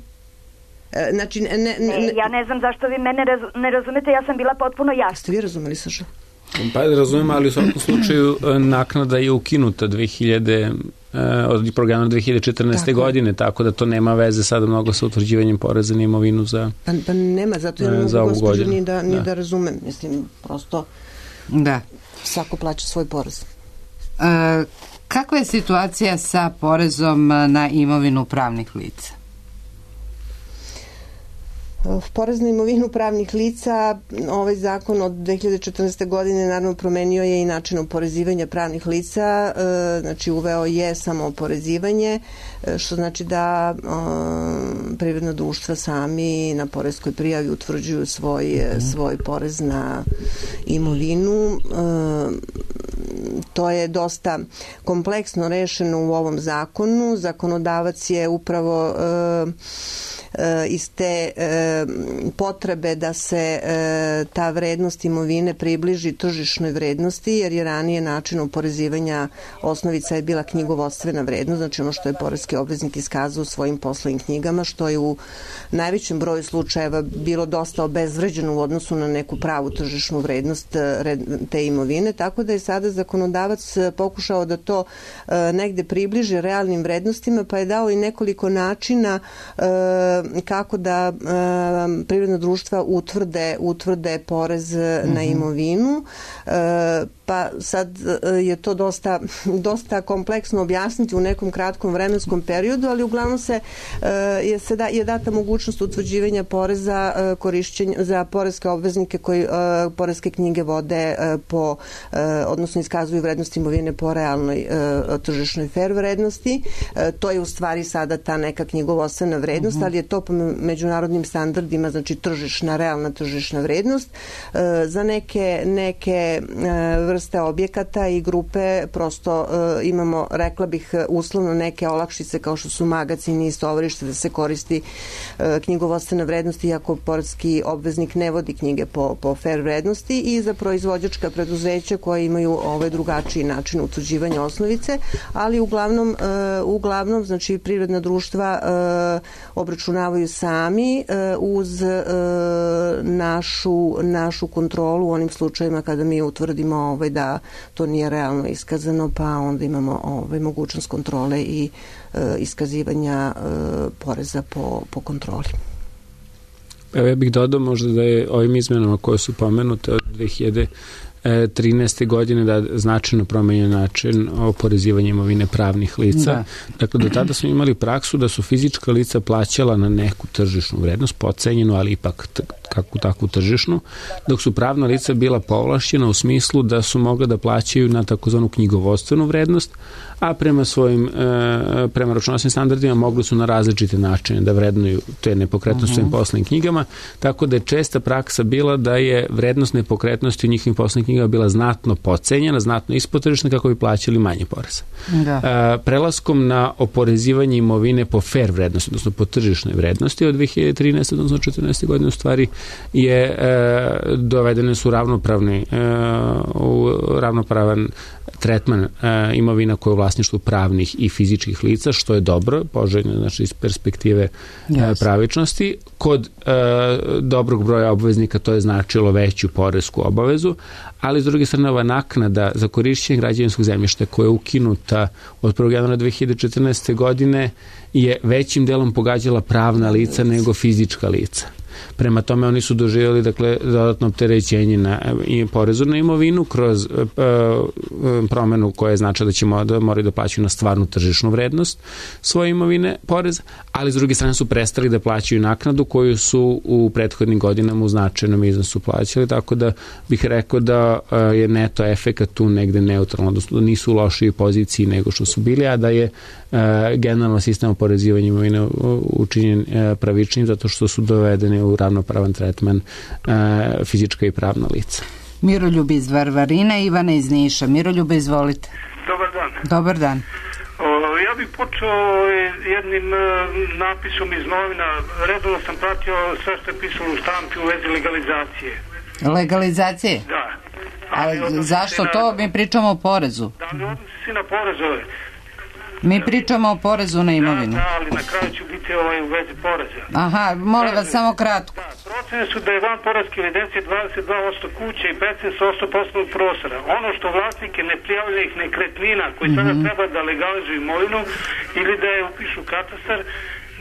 E, znači, ne, ne, ne, ne, ja ne znam zašto vi mene razu, ne razumete, ja sam bila potpuno jasna. Ste vi razumeli, Saša? Pa razumijem, ali u svakom slučaju naknada je ukinuta dve hiljade od programa dve hiljade četrnaeste. Tako. godine, tako da to nema veze sada mnogo sa utvrđivanjem poreza na imovinu za Pa, pa nema, zato ja ne mogu gospođu ni da, ni da. da razumem. Mislim, prosto da. svako plaća svoj porez. E, kakva je situacija sa porezom na imovinu pravnih lica? Porez na imovinu pravnih lica, ovaj zakon od dve hiljade četrnaeste. godine naravno promenio je i način oporezivanja pravnih lica, znači uveo je samo oporezivanje, što znači da privredna društva sami na poreskoj prijavi utvrđuju svoj, svoj porez na imovinu. To je dosta kompleksno rešeno u ovom zakonu. Zakonodavac je upravo iz te e, potrebe da se e, ta vrednost imovine približi tržišnoj vrednosti, jer je ranije način oporezivanja osnovica je bila knjigovodstvena vrednost, znači ono što je poreski obveznik iskazao u svojim poslovnim knjigama, što je u najvećem broju slučajeva bilo dosta obezvređeno u odnosu na neku pravu tržišnu vrednost te imovine, tako da je sada zakonodavac pokušao da to e, negde približi realnim vrednostima, pa je dao i nekoliko načina e, kako da e, privredna društva utvrde, utvrde porez mm-hmm. na imovinu. E, pa sad je to dosta, dosta kompleksno objasniti u nekom kratkom vremenskom periodu, ali uglavnom se je, se da, je data mogućnost utvrđivanja poreza korišćenja za poreske obveznike koji poreske knjige vode po, odnosno iskazuju vrednost imovine po realnoj tržišnoj fair vrednosti. To je u stvari sada ta neka knjigovodstvena vrednost, mm-hmm. ali je to po međunarodnim standardima, znači tržišna, realna tržišna vrednost. Za neke, neke vrste objekata i grupe prosto uh, imamo, rekla bih, uslovno neke olakšice kao što su magacini i stovarište da se koristi uh, knjigovodstvena vrednost, iako poreski obveznik ne vodi knjige po, po fair vrednosti, i za proizvođačka preduzeća koje imaju ovaj drugačiji način utvrđivanja osnovice, ali uglavnom, uh, uglavnom znači privredna društva uh, obračunavaju sami uh, uz uh, našu, našu kontrolu u onim slučajima kada mi utvrdimo ovaj, da to nije realno iskazano, pa onda imamo ovaj, mogućnost kontrole i e, iskazivanja e, poreza po, po kontroli. Evo ja bih dodao možda da je ovim izmenama koje su pomenute od dve hiljade trinaeste. godine da značajno promenjen način oporezivanja imovine pravnih lica. Da. Dakle, do tada smo imali praksu da su fizička lica plaćala na neku tržišnu vrednost, potcenjenu, ali ipak t- kakvu takvu tržišnu, dok su pravna lica bila povlašćena u smislu da su mogla da plaćaju na takozvanu knjigovodstvenu vrednost, a prema svojim, e, prema računovodstvenim standardima mogli su na različite načine da vrednuju te nepokretnosti u svojim poslovnim knjigama, tako da je česta praksa bila da je vrednost nepokretnosti u njihovim poslovnim knjigama bila znatno potcenjena, znatno ispod tržišne kako bi plaćali manje poreza. Da. E, prelaskom na oporezivanje imovine po fair vrednosti, odnosno po tržišnoj vrednosti od dve hiljade trinaeste. odnosno četrnaeste. godine u stvari je e, dovedene su ravnopravni e, u ravnopravan tretman e, imovina koja je u vlasništvu pravnih i fizičkih lica, što je dobro, poželjno, znači iz perspektive yes. e, pravičnosti. Kod e, dobrog broja obveznika to je značilo veću poresku obavezu, ali s druge strane ova naknada za korišćenje građevinskog zemljišta koja je ukinuta od prvog januara dve hiljade četrnaeste. godine je većim delom pogađala pravna lica nego fizička lica. Prema tome oni su doživjeli dakle dodatno opterećenje na i porezu na imovinu kroz uh, promenu koja znači da ćemo da moraju da plaćaju na stvarnu tržišnu vrednost svoje imovine poreza, ali s druge strane su prestali da plaćaju naknadu koju su u prethodnim godinama u značajnom iznosu plaćali, tako da bih rekao da uh, je neto efekat tu negde neutralno, odnosno da nisu u lošoj poziciji nego što su bili, a da je uh, generalno sistem oporezivanja imovine učinjen uh, pravičnim zato što su dovedeni u ravnopravan tretman uh, fizička i pravna lica. Miroljub iz Varvarina, Ivana iz Niša. Miroljub, izvolite. Dobar dan. Dobar dan. O, ja bih počeo jednim uh, napisom iz novina. Redovno sam pratio sve što je pisalo u štampi u vezi legalizacije. Legalizacije? Da. A zašto to? Mi pričamo o porezu. Da, ali odnosi se na porezove. Mi pričamo o porezu na imovinu. Da, da, ali na kraju ću biti ovaj u vezi poreza. Aha, molim vas samo kratko. Da, procene su da je van poreske evidencije dvadeset dva posto kuće i petnaest posto poslovnog prostora. Ono što vlasnike neprijavljenih nekretnina koji mm-hmm. sada treba da legalizuju imovinu ili da je upišu katastar,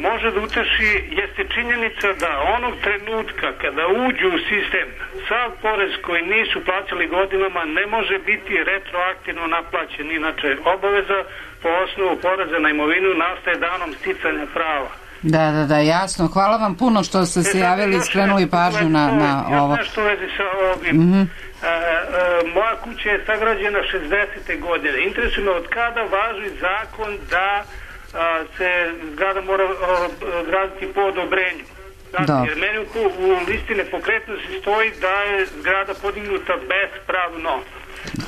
može da uteši jeste činjenica da onog trenutka kada uđu u sistem sav porez koji nisu plaćali godinama ne može biti retroaktivno naplaćen. Inače, obaveza po osnovu poreza na imovinu nastaje danom sticanja prava. Da, da, da, jasno. Hvala vam puno što ste se javili i skrenuli pažnju na, na ovo. Još nešto u vezi sa ovim. Mm-hmm. E, e, moja kuća je sagrađena šezdesete godine. Interesuje me od kada važi zakon da a, se zgrada mora a, graditi po odobrenju. Znači, jer meni u, u listi nepokretnosti stoji da je zgrada podignuta bespravno.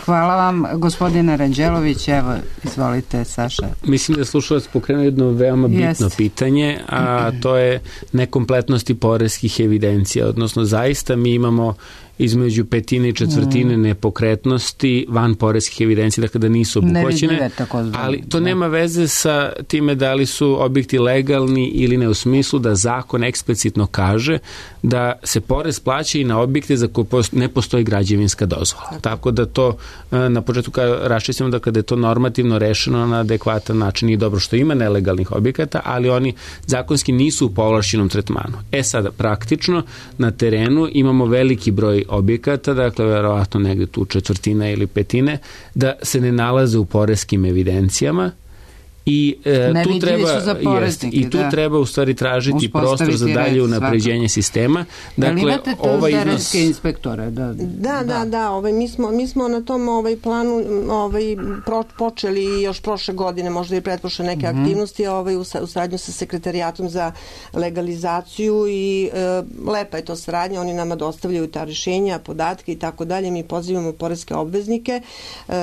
Hvala vam, gospodine Ranđelović. Evo, izvolite, Saša. Mislim da je slušalac pokrenuo jedno veoma bitno Jest. pitanje, a to je nekompletnosti poreskih evidencija, odnosno zaista mi imamo između petine i četvrtine mm. nepokretnosti van poreskih evidencija, dakle da nisu obuhvaćene, ali to nema veze sa time da li su objekti legalni ili ne, u smislu da zakon eksplicitno kaže da se porez plaća i na objekte za koje ne postoji građevinska dozvola. Tako, Tako da to na početku raščistimo da kada je to normativno rešeno na adekvatan način i dobro što ima nelegalnih objekata, ali oni zakonski nisu u povlašćenom tretmanu. E sada, praktično na terenu imamo veliki broj objekata, dakle verovatno negde tu četvrtina ili petine, da se ne nalaze u poreskim evidencijama i e, tu treba jest, i tu da. treba u stvari tražiti prostor za dalje unapređenje sistema. Dakle, imate to ovaj iznos... inspektore? Da, da, da, da, da ovaj, mi, smo, mi smo na tom ovaj planu ovaj, pro, počeli još prošle godine, možda i pretprošle neke mm-hmm. aktivnosti ovaj, u, u saradnju sa sekretarijatom za legalizaciju i e, lepa je to saradnja, oni nama dostavljaju ta rješenja, podatke i tako dalje, mi pozivamo poreske obveznike. E,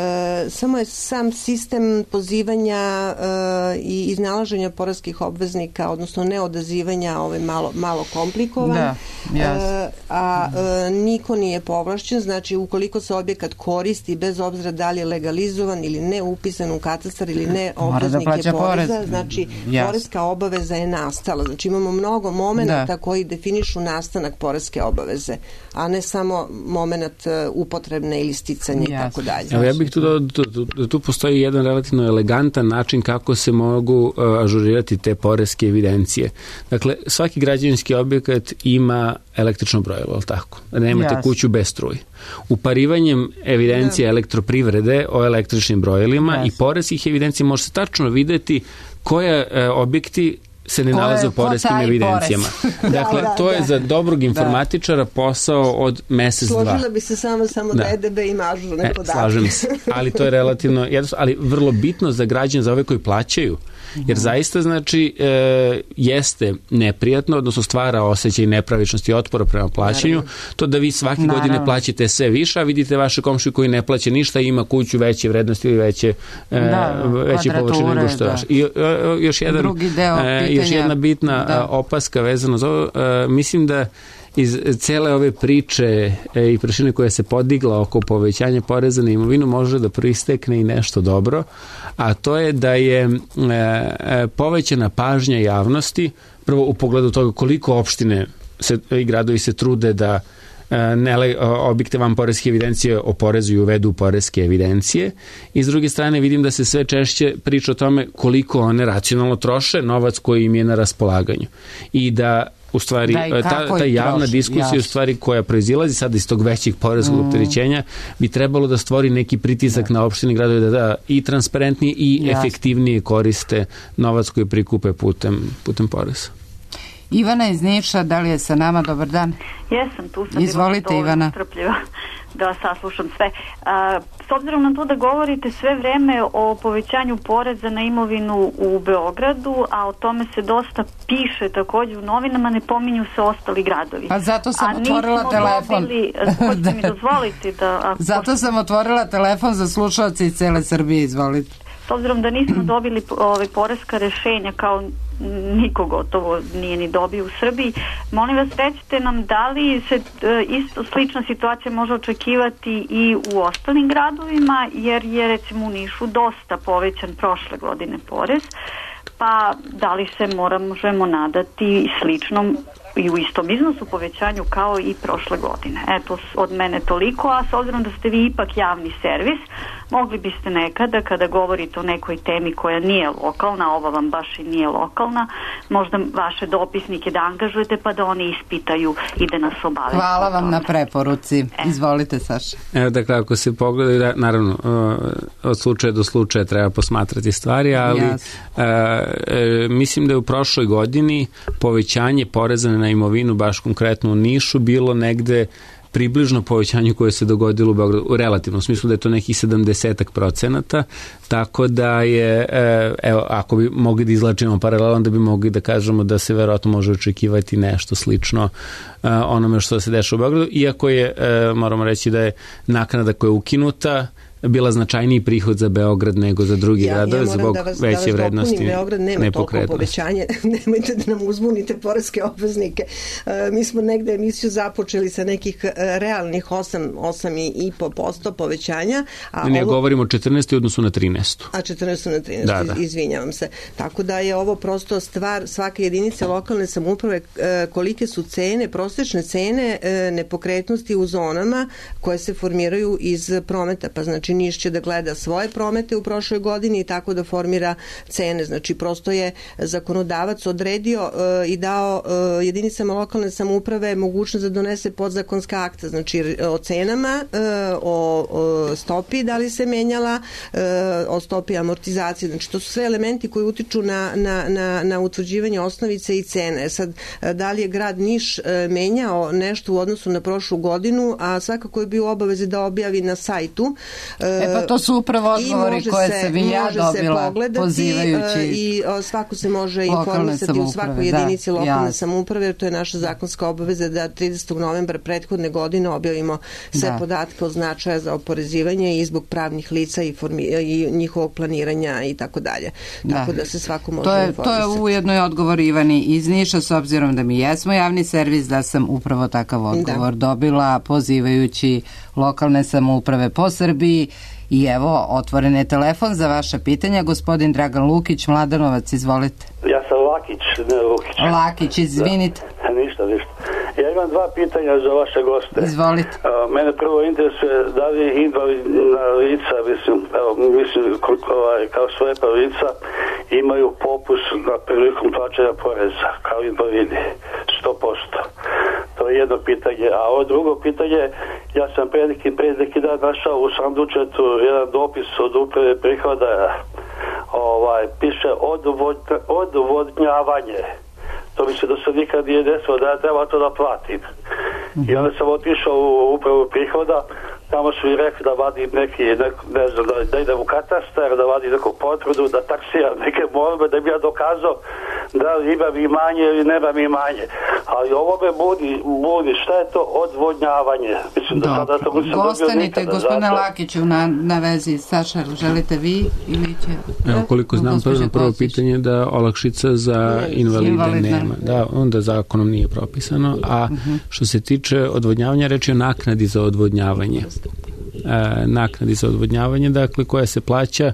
samo je sam sistem pozivanja e, i iznalaženja poreskih obveznika, odnosno neodazivanja ovaj malo, malo komplikovan. Da, e, a e, niko nije povlašćen, znači ukoliko se objekat koristi bez obzira da li je legalizovan ili ne upisan u katastar ili ne obveznik da je poreza, porez. znači Jas. poreska obaveza je nastala. Znači imamo mnogo momenata koji definišu nastanak poreske obaveze, a ne samo moment upotrebne ili sticanja i tako dalje. Evo ja bih tu da, da, da tu postoji jedan relativno elegantan način kako kako se mogu uh, ažurirati te poreske evidencije. Dakle, svaki građevinski objekat ima električno brojilo, ali tako? Nemate yes. kuću bez struje. Uparivanjem evidencije yeah. elektroprivrede o električnim brojilima yes. i poreskih evidencija može se tačno videti koje uh, objekti se ne nalaze u poreskim evidencijama. Dakle, da, da, to je da. za dobrog informatičara posao od mesec, dva. Složila bi se samo, samo da E D B ima ažurne e, podatke. Slažem se, ali to je relativno jednostavno, ali vrlo bitno za građane, za ove koji plaćaju, jer zaista znači e, jeste neprijatno, odnosno stvara osjećaj nepravičnosti i otpora prema plaćanju, Naravno. to da vi svake Naravno. godine plaćate sve više, a vidite vaše komšiju koji ne plaća ništa i ima kuću veće vrednosti ili veće, e, da, veće površine nego što je vaše. I o, još, jedan, e, još jedna bitna da. opaska vezano za ovo, e, mislim da iz cele ove priče e, i prašine koja se podigla oko povećanja poreza na imovinu može da proistekne i nešto dobro, a to je da je e, e, povećana pažnja javnosti prvo u pogledu toga koliko opštine se, i gradovi se trude da ne, objekte van poreske evidencije oporezuju i uvedu poreske evidencije i s druge strane vidim da se sve češće priča o tome koliko one racionalno troše novac koji im je na raspolaganju i da u stvari, da, ta, ta javna troši, diskusija jasno. u stvari koja proizilazi sad iz tog većeg poreskog mm. opterećenja bi trebalo da stvori neki pritisak da. na opštine i gradove da, da i transparentnije i jasno. efektivnije koriste novac koji prikupe putem, putem poreza. Ivana iz Niša, da li je sa nama? Dobar dan. Jesam, tu sam. Izvolite, Ivana. Strpljiva da saslušam sve. A, s obzirom na to da govorite sve vreme o povećanju poreza na imovinu u Beogradu, a o tome se dosta piše takođe u novinama, ne pominju se ostali gradovi. Pa zato sam a otvorila telefon. Dobili, hoćete mi dozvoliti da... Ako zato sam otvorila telefon za slušalce iz cele Srbije, izvolite. S obzirom da nismo dobili ove poreska rešenja, kao niko gotovo nije ni dobio u Srbiji, molim vas, recite nam da li se isto slična situacija može očekivati i u ostalim gradovima, jer je recimo u Nišu dosta povećan prošle godine porez, pa da li se možemo nadati sličnom i u istom iznosu povećanju kao i prošle godine. Eto, od mene toliko, a s obzirom da ste vi ipak javni servis, mogli biste nekada, kada govorite o nekoj temi koja nije lokalna, ova vam baš i nije lokalna, možda vaše dopisnike da angažujete pa da oni ispitaju i da nas obaveste. Hvala vam na preporuci. Izvolite, Saša. Evo, dakle, ako se pogledaju, da, naravno, od slučaja do slučaja treba posmatrati stvari, ali yes. e, mislim da je u prošloj godini povećanje poreza na imovinu, baš konkretno u Nišu, bilo negde približno povećanju koje se dogodilo u Beogradu, u relativnom smislu da je to nekih sedamdesetak procenata, tako da je, evo, ako bi mogli da izlačimo paralel, onda bi mogli da kažemo da se verovatno može očekivati nešto slično onome što se dešava u Beogradu, iako je, moramo reći da je naknada koja je ukinuta bila značajniji prihod za Beograd nego za drugi ja, gradove ja zbog da vas, veće da vrednosti Beograd nema toliko povećanje, nemojte da nam uzbunite poreske obveznike. E, mi smo negde emisiju započeli sa nekih realnih osam, osam i po posto povećanja. A ne, ovo... govorimo o četrnaest u odnosu na trinaest. A četrnaest na trinaest, da, da. Izvinjavam se. Tako da je ovo prosto stvar svake jedinice lokalne samouprave, kolike su cene, prosječne cene nepokretnosti u zonama koje se formiraju iz prometa, pa znači Niš će da gleda svoje promete u prošloj godini i tako da formira cene. Znači, prosto je zakonodavac odredio uh, i dao uh, jedinicama lokalne samouprave mogućnost da donese podzakonska akta, znači o cenama, uh, o, o stopi da li se menjala, uh, o stopi amortizacije. Znači, to su sve elementi koji utiču na, na, na, na utvrđivanje osnovice i cene. Sad, da li je grad Niš uh, menjao nešto u odnosu na prošlu godinu, a svakako je bio u obavezi da objavi na sajtu. E pa to su upravo odgovori koje se, se vi ja dobila pozivajući i svako se može informisati u svakoj jedinici da, lokalne ja. samouprave, jer to je naša zakonska obaveza da tridesetog novembra prethodne godine objavimo sve da. podatke od značaja za oporezivanje i zbog pravnih lica i, formi, i njihovog planiranja i tako dalje. Tako da, da se svako može to je, informisati. To je ujedno i odgovor Ivani iz Niša, s obzirom da mi jesmo javni servis, da sam upravo takav odgovor da. dobila pozivajući lokalne samouprave po Srbiji. I evo, otvoren je telefon za vaše pitanja. Gospodin Dragan Lukić, Mladenovac, izvolite. Ja sam Lakić, ne Lukić. Lakić, izvinite. Da. Ništa, ništa. Ja imam dva pitanja za vaše goste. Izvolite. Uh, mene prvo interesuje da li invalidna lica, mislim, evo, mislim ovaj, kao svoje lica imaju popust na prilikom plaćanja poreza, kao invalidi, sto posto. To je jedno pitanje. A ovo drugo pitanje, ja sam pre neki, pre neki dan našao u sandučetu jedan dopis od uprave prihoda, ovaj, piše odvodnja, odvodnjavanje. To mi se do sad nikad nije desilo da ja treba to da platim. I onda sam otišao u upravu prihoda, tamo su mi rekli da vadim neki, neko, ne znam, da, da idem u katastar, da vadim neku potvrdu, da taksiram neke morbe, da bi ja dokazao da li imam imanje ili nemam imanje. Ali ovo me budi, budi, šta je to odvodnjavanje? Mislim da sada to nisam dobio nikada. Gostanite, gospodine Lakiću, na, na vezi. Saša, želite vi ili će... Evo, koliko znam, prvo, prvo pitanje da olakšica za invalide Invalidne. nema. Da, onda zakonom nije propisano. A uh-huh. što se tiče odvodnjavanja, reč je o naknadi za odvodnjavanje. E, naknadi za odvodnjavanje, dakle, koja se plaća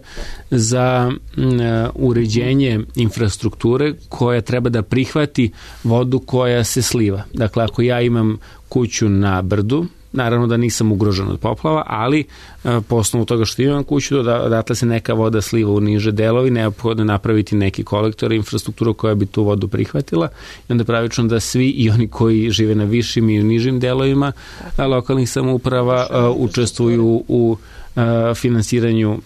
za e, uređenje infrastrukture koja treba da prihvati vodu koja se sliva. Dakle, ako ja imam kuću na brdu, naravno da nisam ugrožen od poplava, ali po osnovu toga što imam kuću, odatle se neka voda sliva u niže delovi, neophodno napraviti neki kolektor, infrastrukturu koja bi tu vodu prihvatila i onda pravično da svi i oni koji žive na višim i u nižim delovima lokalnih samouprava učestvuju u finansiranju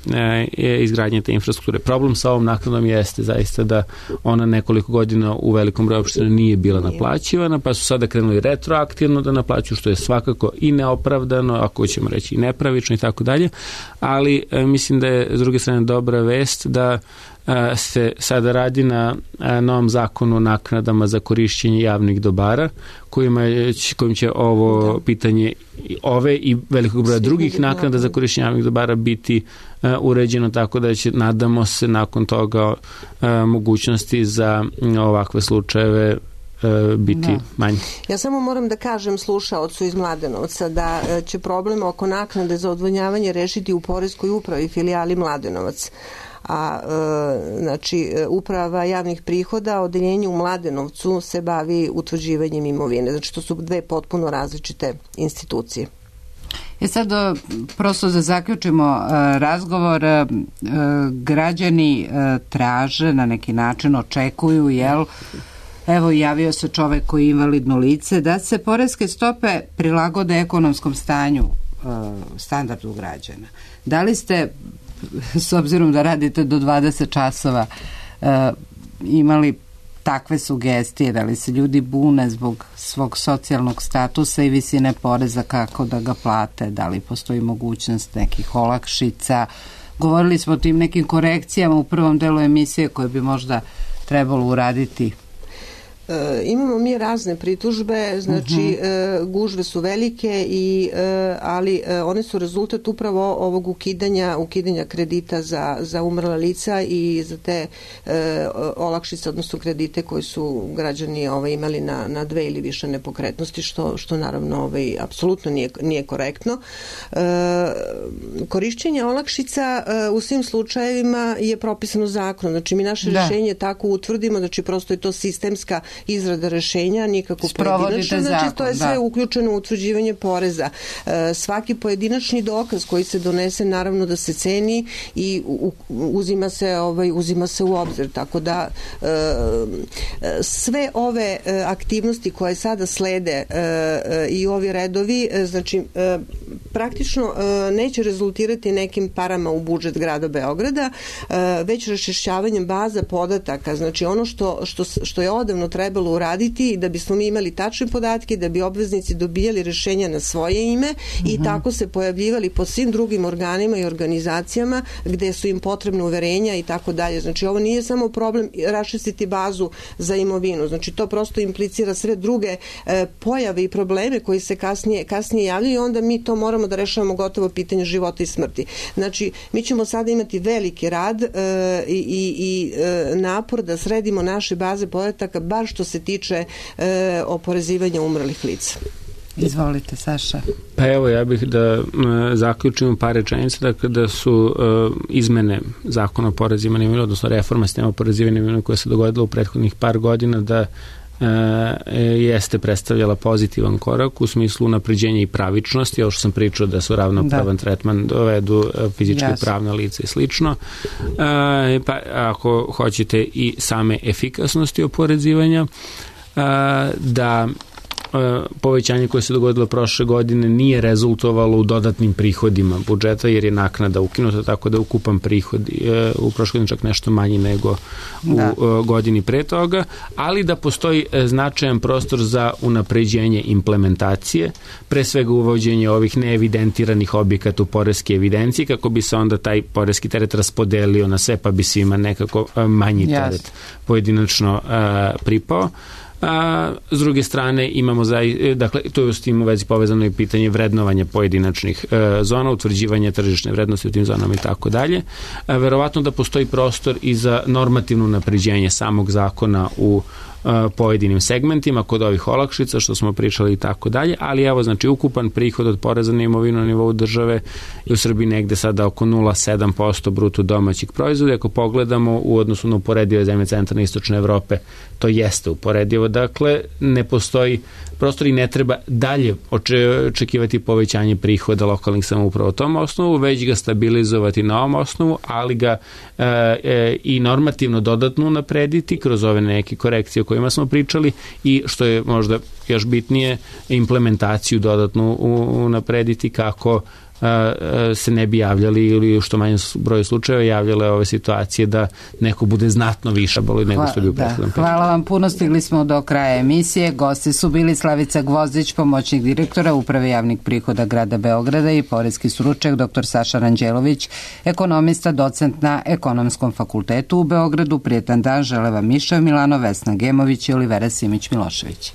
izgradnje te infrastrukture. Problem sa ovom naknadom jeste zaista da ona nekoliko godina u velikom broju opština nije bila naplaćivana, pa su sada krenuli retroaktivno da naplaćuju, što je svakako i neopravdano, ako ćemo reći i nepravično i tako dalje, ali mislim da je s druge strane dobra vest da se sada radi na novom zakonu o naknadama za korišćenje javnih dobara, kojima je, kojim će ovo pitanje ove i velikog broja drugih naknada za korišćenje javnih dobara biti uh, uređeno tako da će, nadamo se, nakon toga uh, mogućnosti za uh, ovakve slučajeve biti da. Manje. Ja samo moram da kažem slušaocu iz Mladenovca da će problem oko naknade za odvodnjavanje rešiti u Poreskoj upravi filijali Mladenovac. A e, znači uprava javnih prihoda, odeljenje u Mladenovcu se bavi utvrđivanjem imovine. Znači to su dve potpuno različite institucije. E sad, prosto da zaključimo razgovor, građani traže, na neki način očekuju, jel, evo javio se čovek koji je invalidno lice, da se poreske stope prilagode ekonomskom stanju, standardu građana. Da li ste, s obzirom da radite do dvadeset časova, imali takve sugestije, da li se ljudi bune zbog svog socijalnog statusa i visine poreza, kako da ga plate, da li postoji mogućnost nekih olakšica? Govorili smo o tim nekim korekcijama u prvom delu emisije koje bi možda trebalo uraditi. E, imamo mi razne pritužbe, znači uh-huh. e, gužve su velike, i, e, ali e, one su rezultat upravo ovog ukidanja, ukidanja kredita za, za umrla lica i za te e, olakšice, odnosno kredite koji su građani ovaj, imali na, na dve ili više nepokretnosti, što, što naravno ovaj, apsolutno nije, nije korektno. E, korišćenje olakšica e, u svim slučajevima je propisano zakonom, znači mi naše da. rešenje tako utvrdimo, znači prosto je to sistemska izrada rešenja, nikako pojedinačno, znači zakon, to je sve da. uključeno u utvrđivanje poreza. E, svaki pojedinačni dokaz koji se donese, naravno da se ceni i u, uzima se ovaj uzima se u obzir, tako da e, sve ove aktivnosti koje sada slede e, i ovi redovi, e, znači e, praktično e, neće rezultirati nekim parama u budžet grada Beograda, e, već raščišćavanjem baza podataka, znači ono što, što, što je odavno trebalo uraditi da bismo mi imali tačne podatke, da bi obveznici dobijali rešenja na svoje ime mm-hmm. i tako se pojavljivali po svim drugim organima i organizacijama gde su im potrebne uverenja i tako dalje. Znači ovo nije samo problem raščistiti bazu za imovinu, znači to prosto implicira sve druge e, pojave i probleme koji se kasnije, kasnije javljaju i onda mi to moramo da rešavamo gotovo pitanje života i smrti. Znači mi ćemo sada imati veliki rad e, i, i, i e, napor da sredimo naše baze podataka, bar što se tiče e, oporezivanja umrlih lica. Izvolite, Saša. Pa evo, ja bih da e, zaključim par rečenica, dakle da su e, izmene zakona o porezivanju imovine, odnosno reforma sistema oporezivanja imovine koja se dogodila u prethodnih par godina, da e, jeste predstavljala pozitivan korak u smislu unapređenja i pravičnosti, ovo što sam pričao da su ravnopravan da. tretman dovedu fizičke i pravne lice i slično. E, pa ako hoćete i same efikasnosti oporezivanja, e, da povećanje koje se dogodilo prošle godine nije rezultovalo u dodatnim prihodima budžeta, jer je naknada ukinuta, tako da ukupan prihod u prošle godine čak nešto manji nego da. u godini pre toga, ali da postoji značajan prostor za unapređenje implementacije, pre svega uvođenje ovih neevidentiranih objekata u poreske evidencije, kako bi se onda taj poreski teret raspodelio na sve, pa bi svima nekako manji teret yes. pojedinačno uh, pripao. A, s druge strane imamo za, dakle, to je s tim u vezi povezano i pitanje vrednovanja pojedinačnih e, zona, utvrđivanje tržišne vrednosti u tim zonama i tako dalje. Verovatno da postoji prostor i za normativno napređenje samog zakona u pojedinim segmentima kod ovih olakšica što smo pričali i tako dalje, ali evo, znači ukupan prihod od poreza na imovinu na nivou države je u Srbiji negde sada oko nula zarez sedam posto bruto domaćeg proizvoda. Ako pogledamo u odnosu na uporedive zemlje centralne i istočne Evrope, to jeste uporedivo, dakle ne postoji prostor i ne treba dalje očekivati povećanje prihoda lokalnih samouprava u tom osnovu, već ga stabilizovati na ovom osnovu, ali ga e, e, i normativno dodatno unaprediti kroz ove neke korekcije o kojima smo pričali i što je možda još bitnije, implementaciju dodatno unaprediti kako se ne bi javljali ili u što manje broju slučajeva javljale ove situacije da neko bude znatno više boli nego što bi u prethodnom periodu. Hvala vam puno, stigli smo do kraja emisije. Gosti su bili Slavica Gvozdić, pomoćnik direktora Uprave javnih prihoda grada Beograda i poreski stručnjak dr Saša Ranđelović, ekonomista, docent na Ekonomskom fakultetu u Beogradu. Prijetan dan žele vam Miša Milano, Vesna Gemović i Olivera Simić Milošević.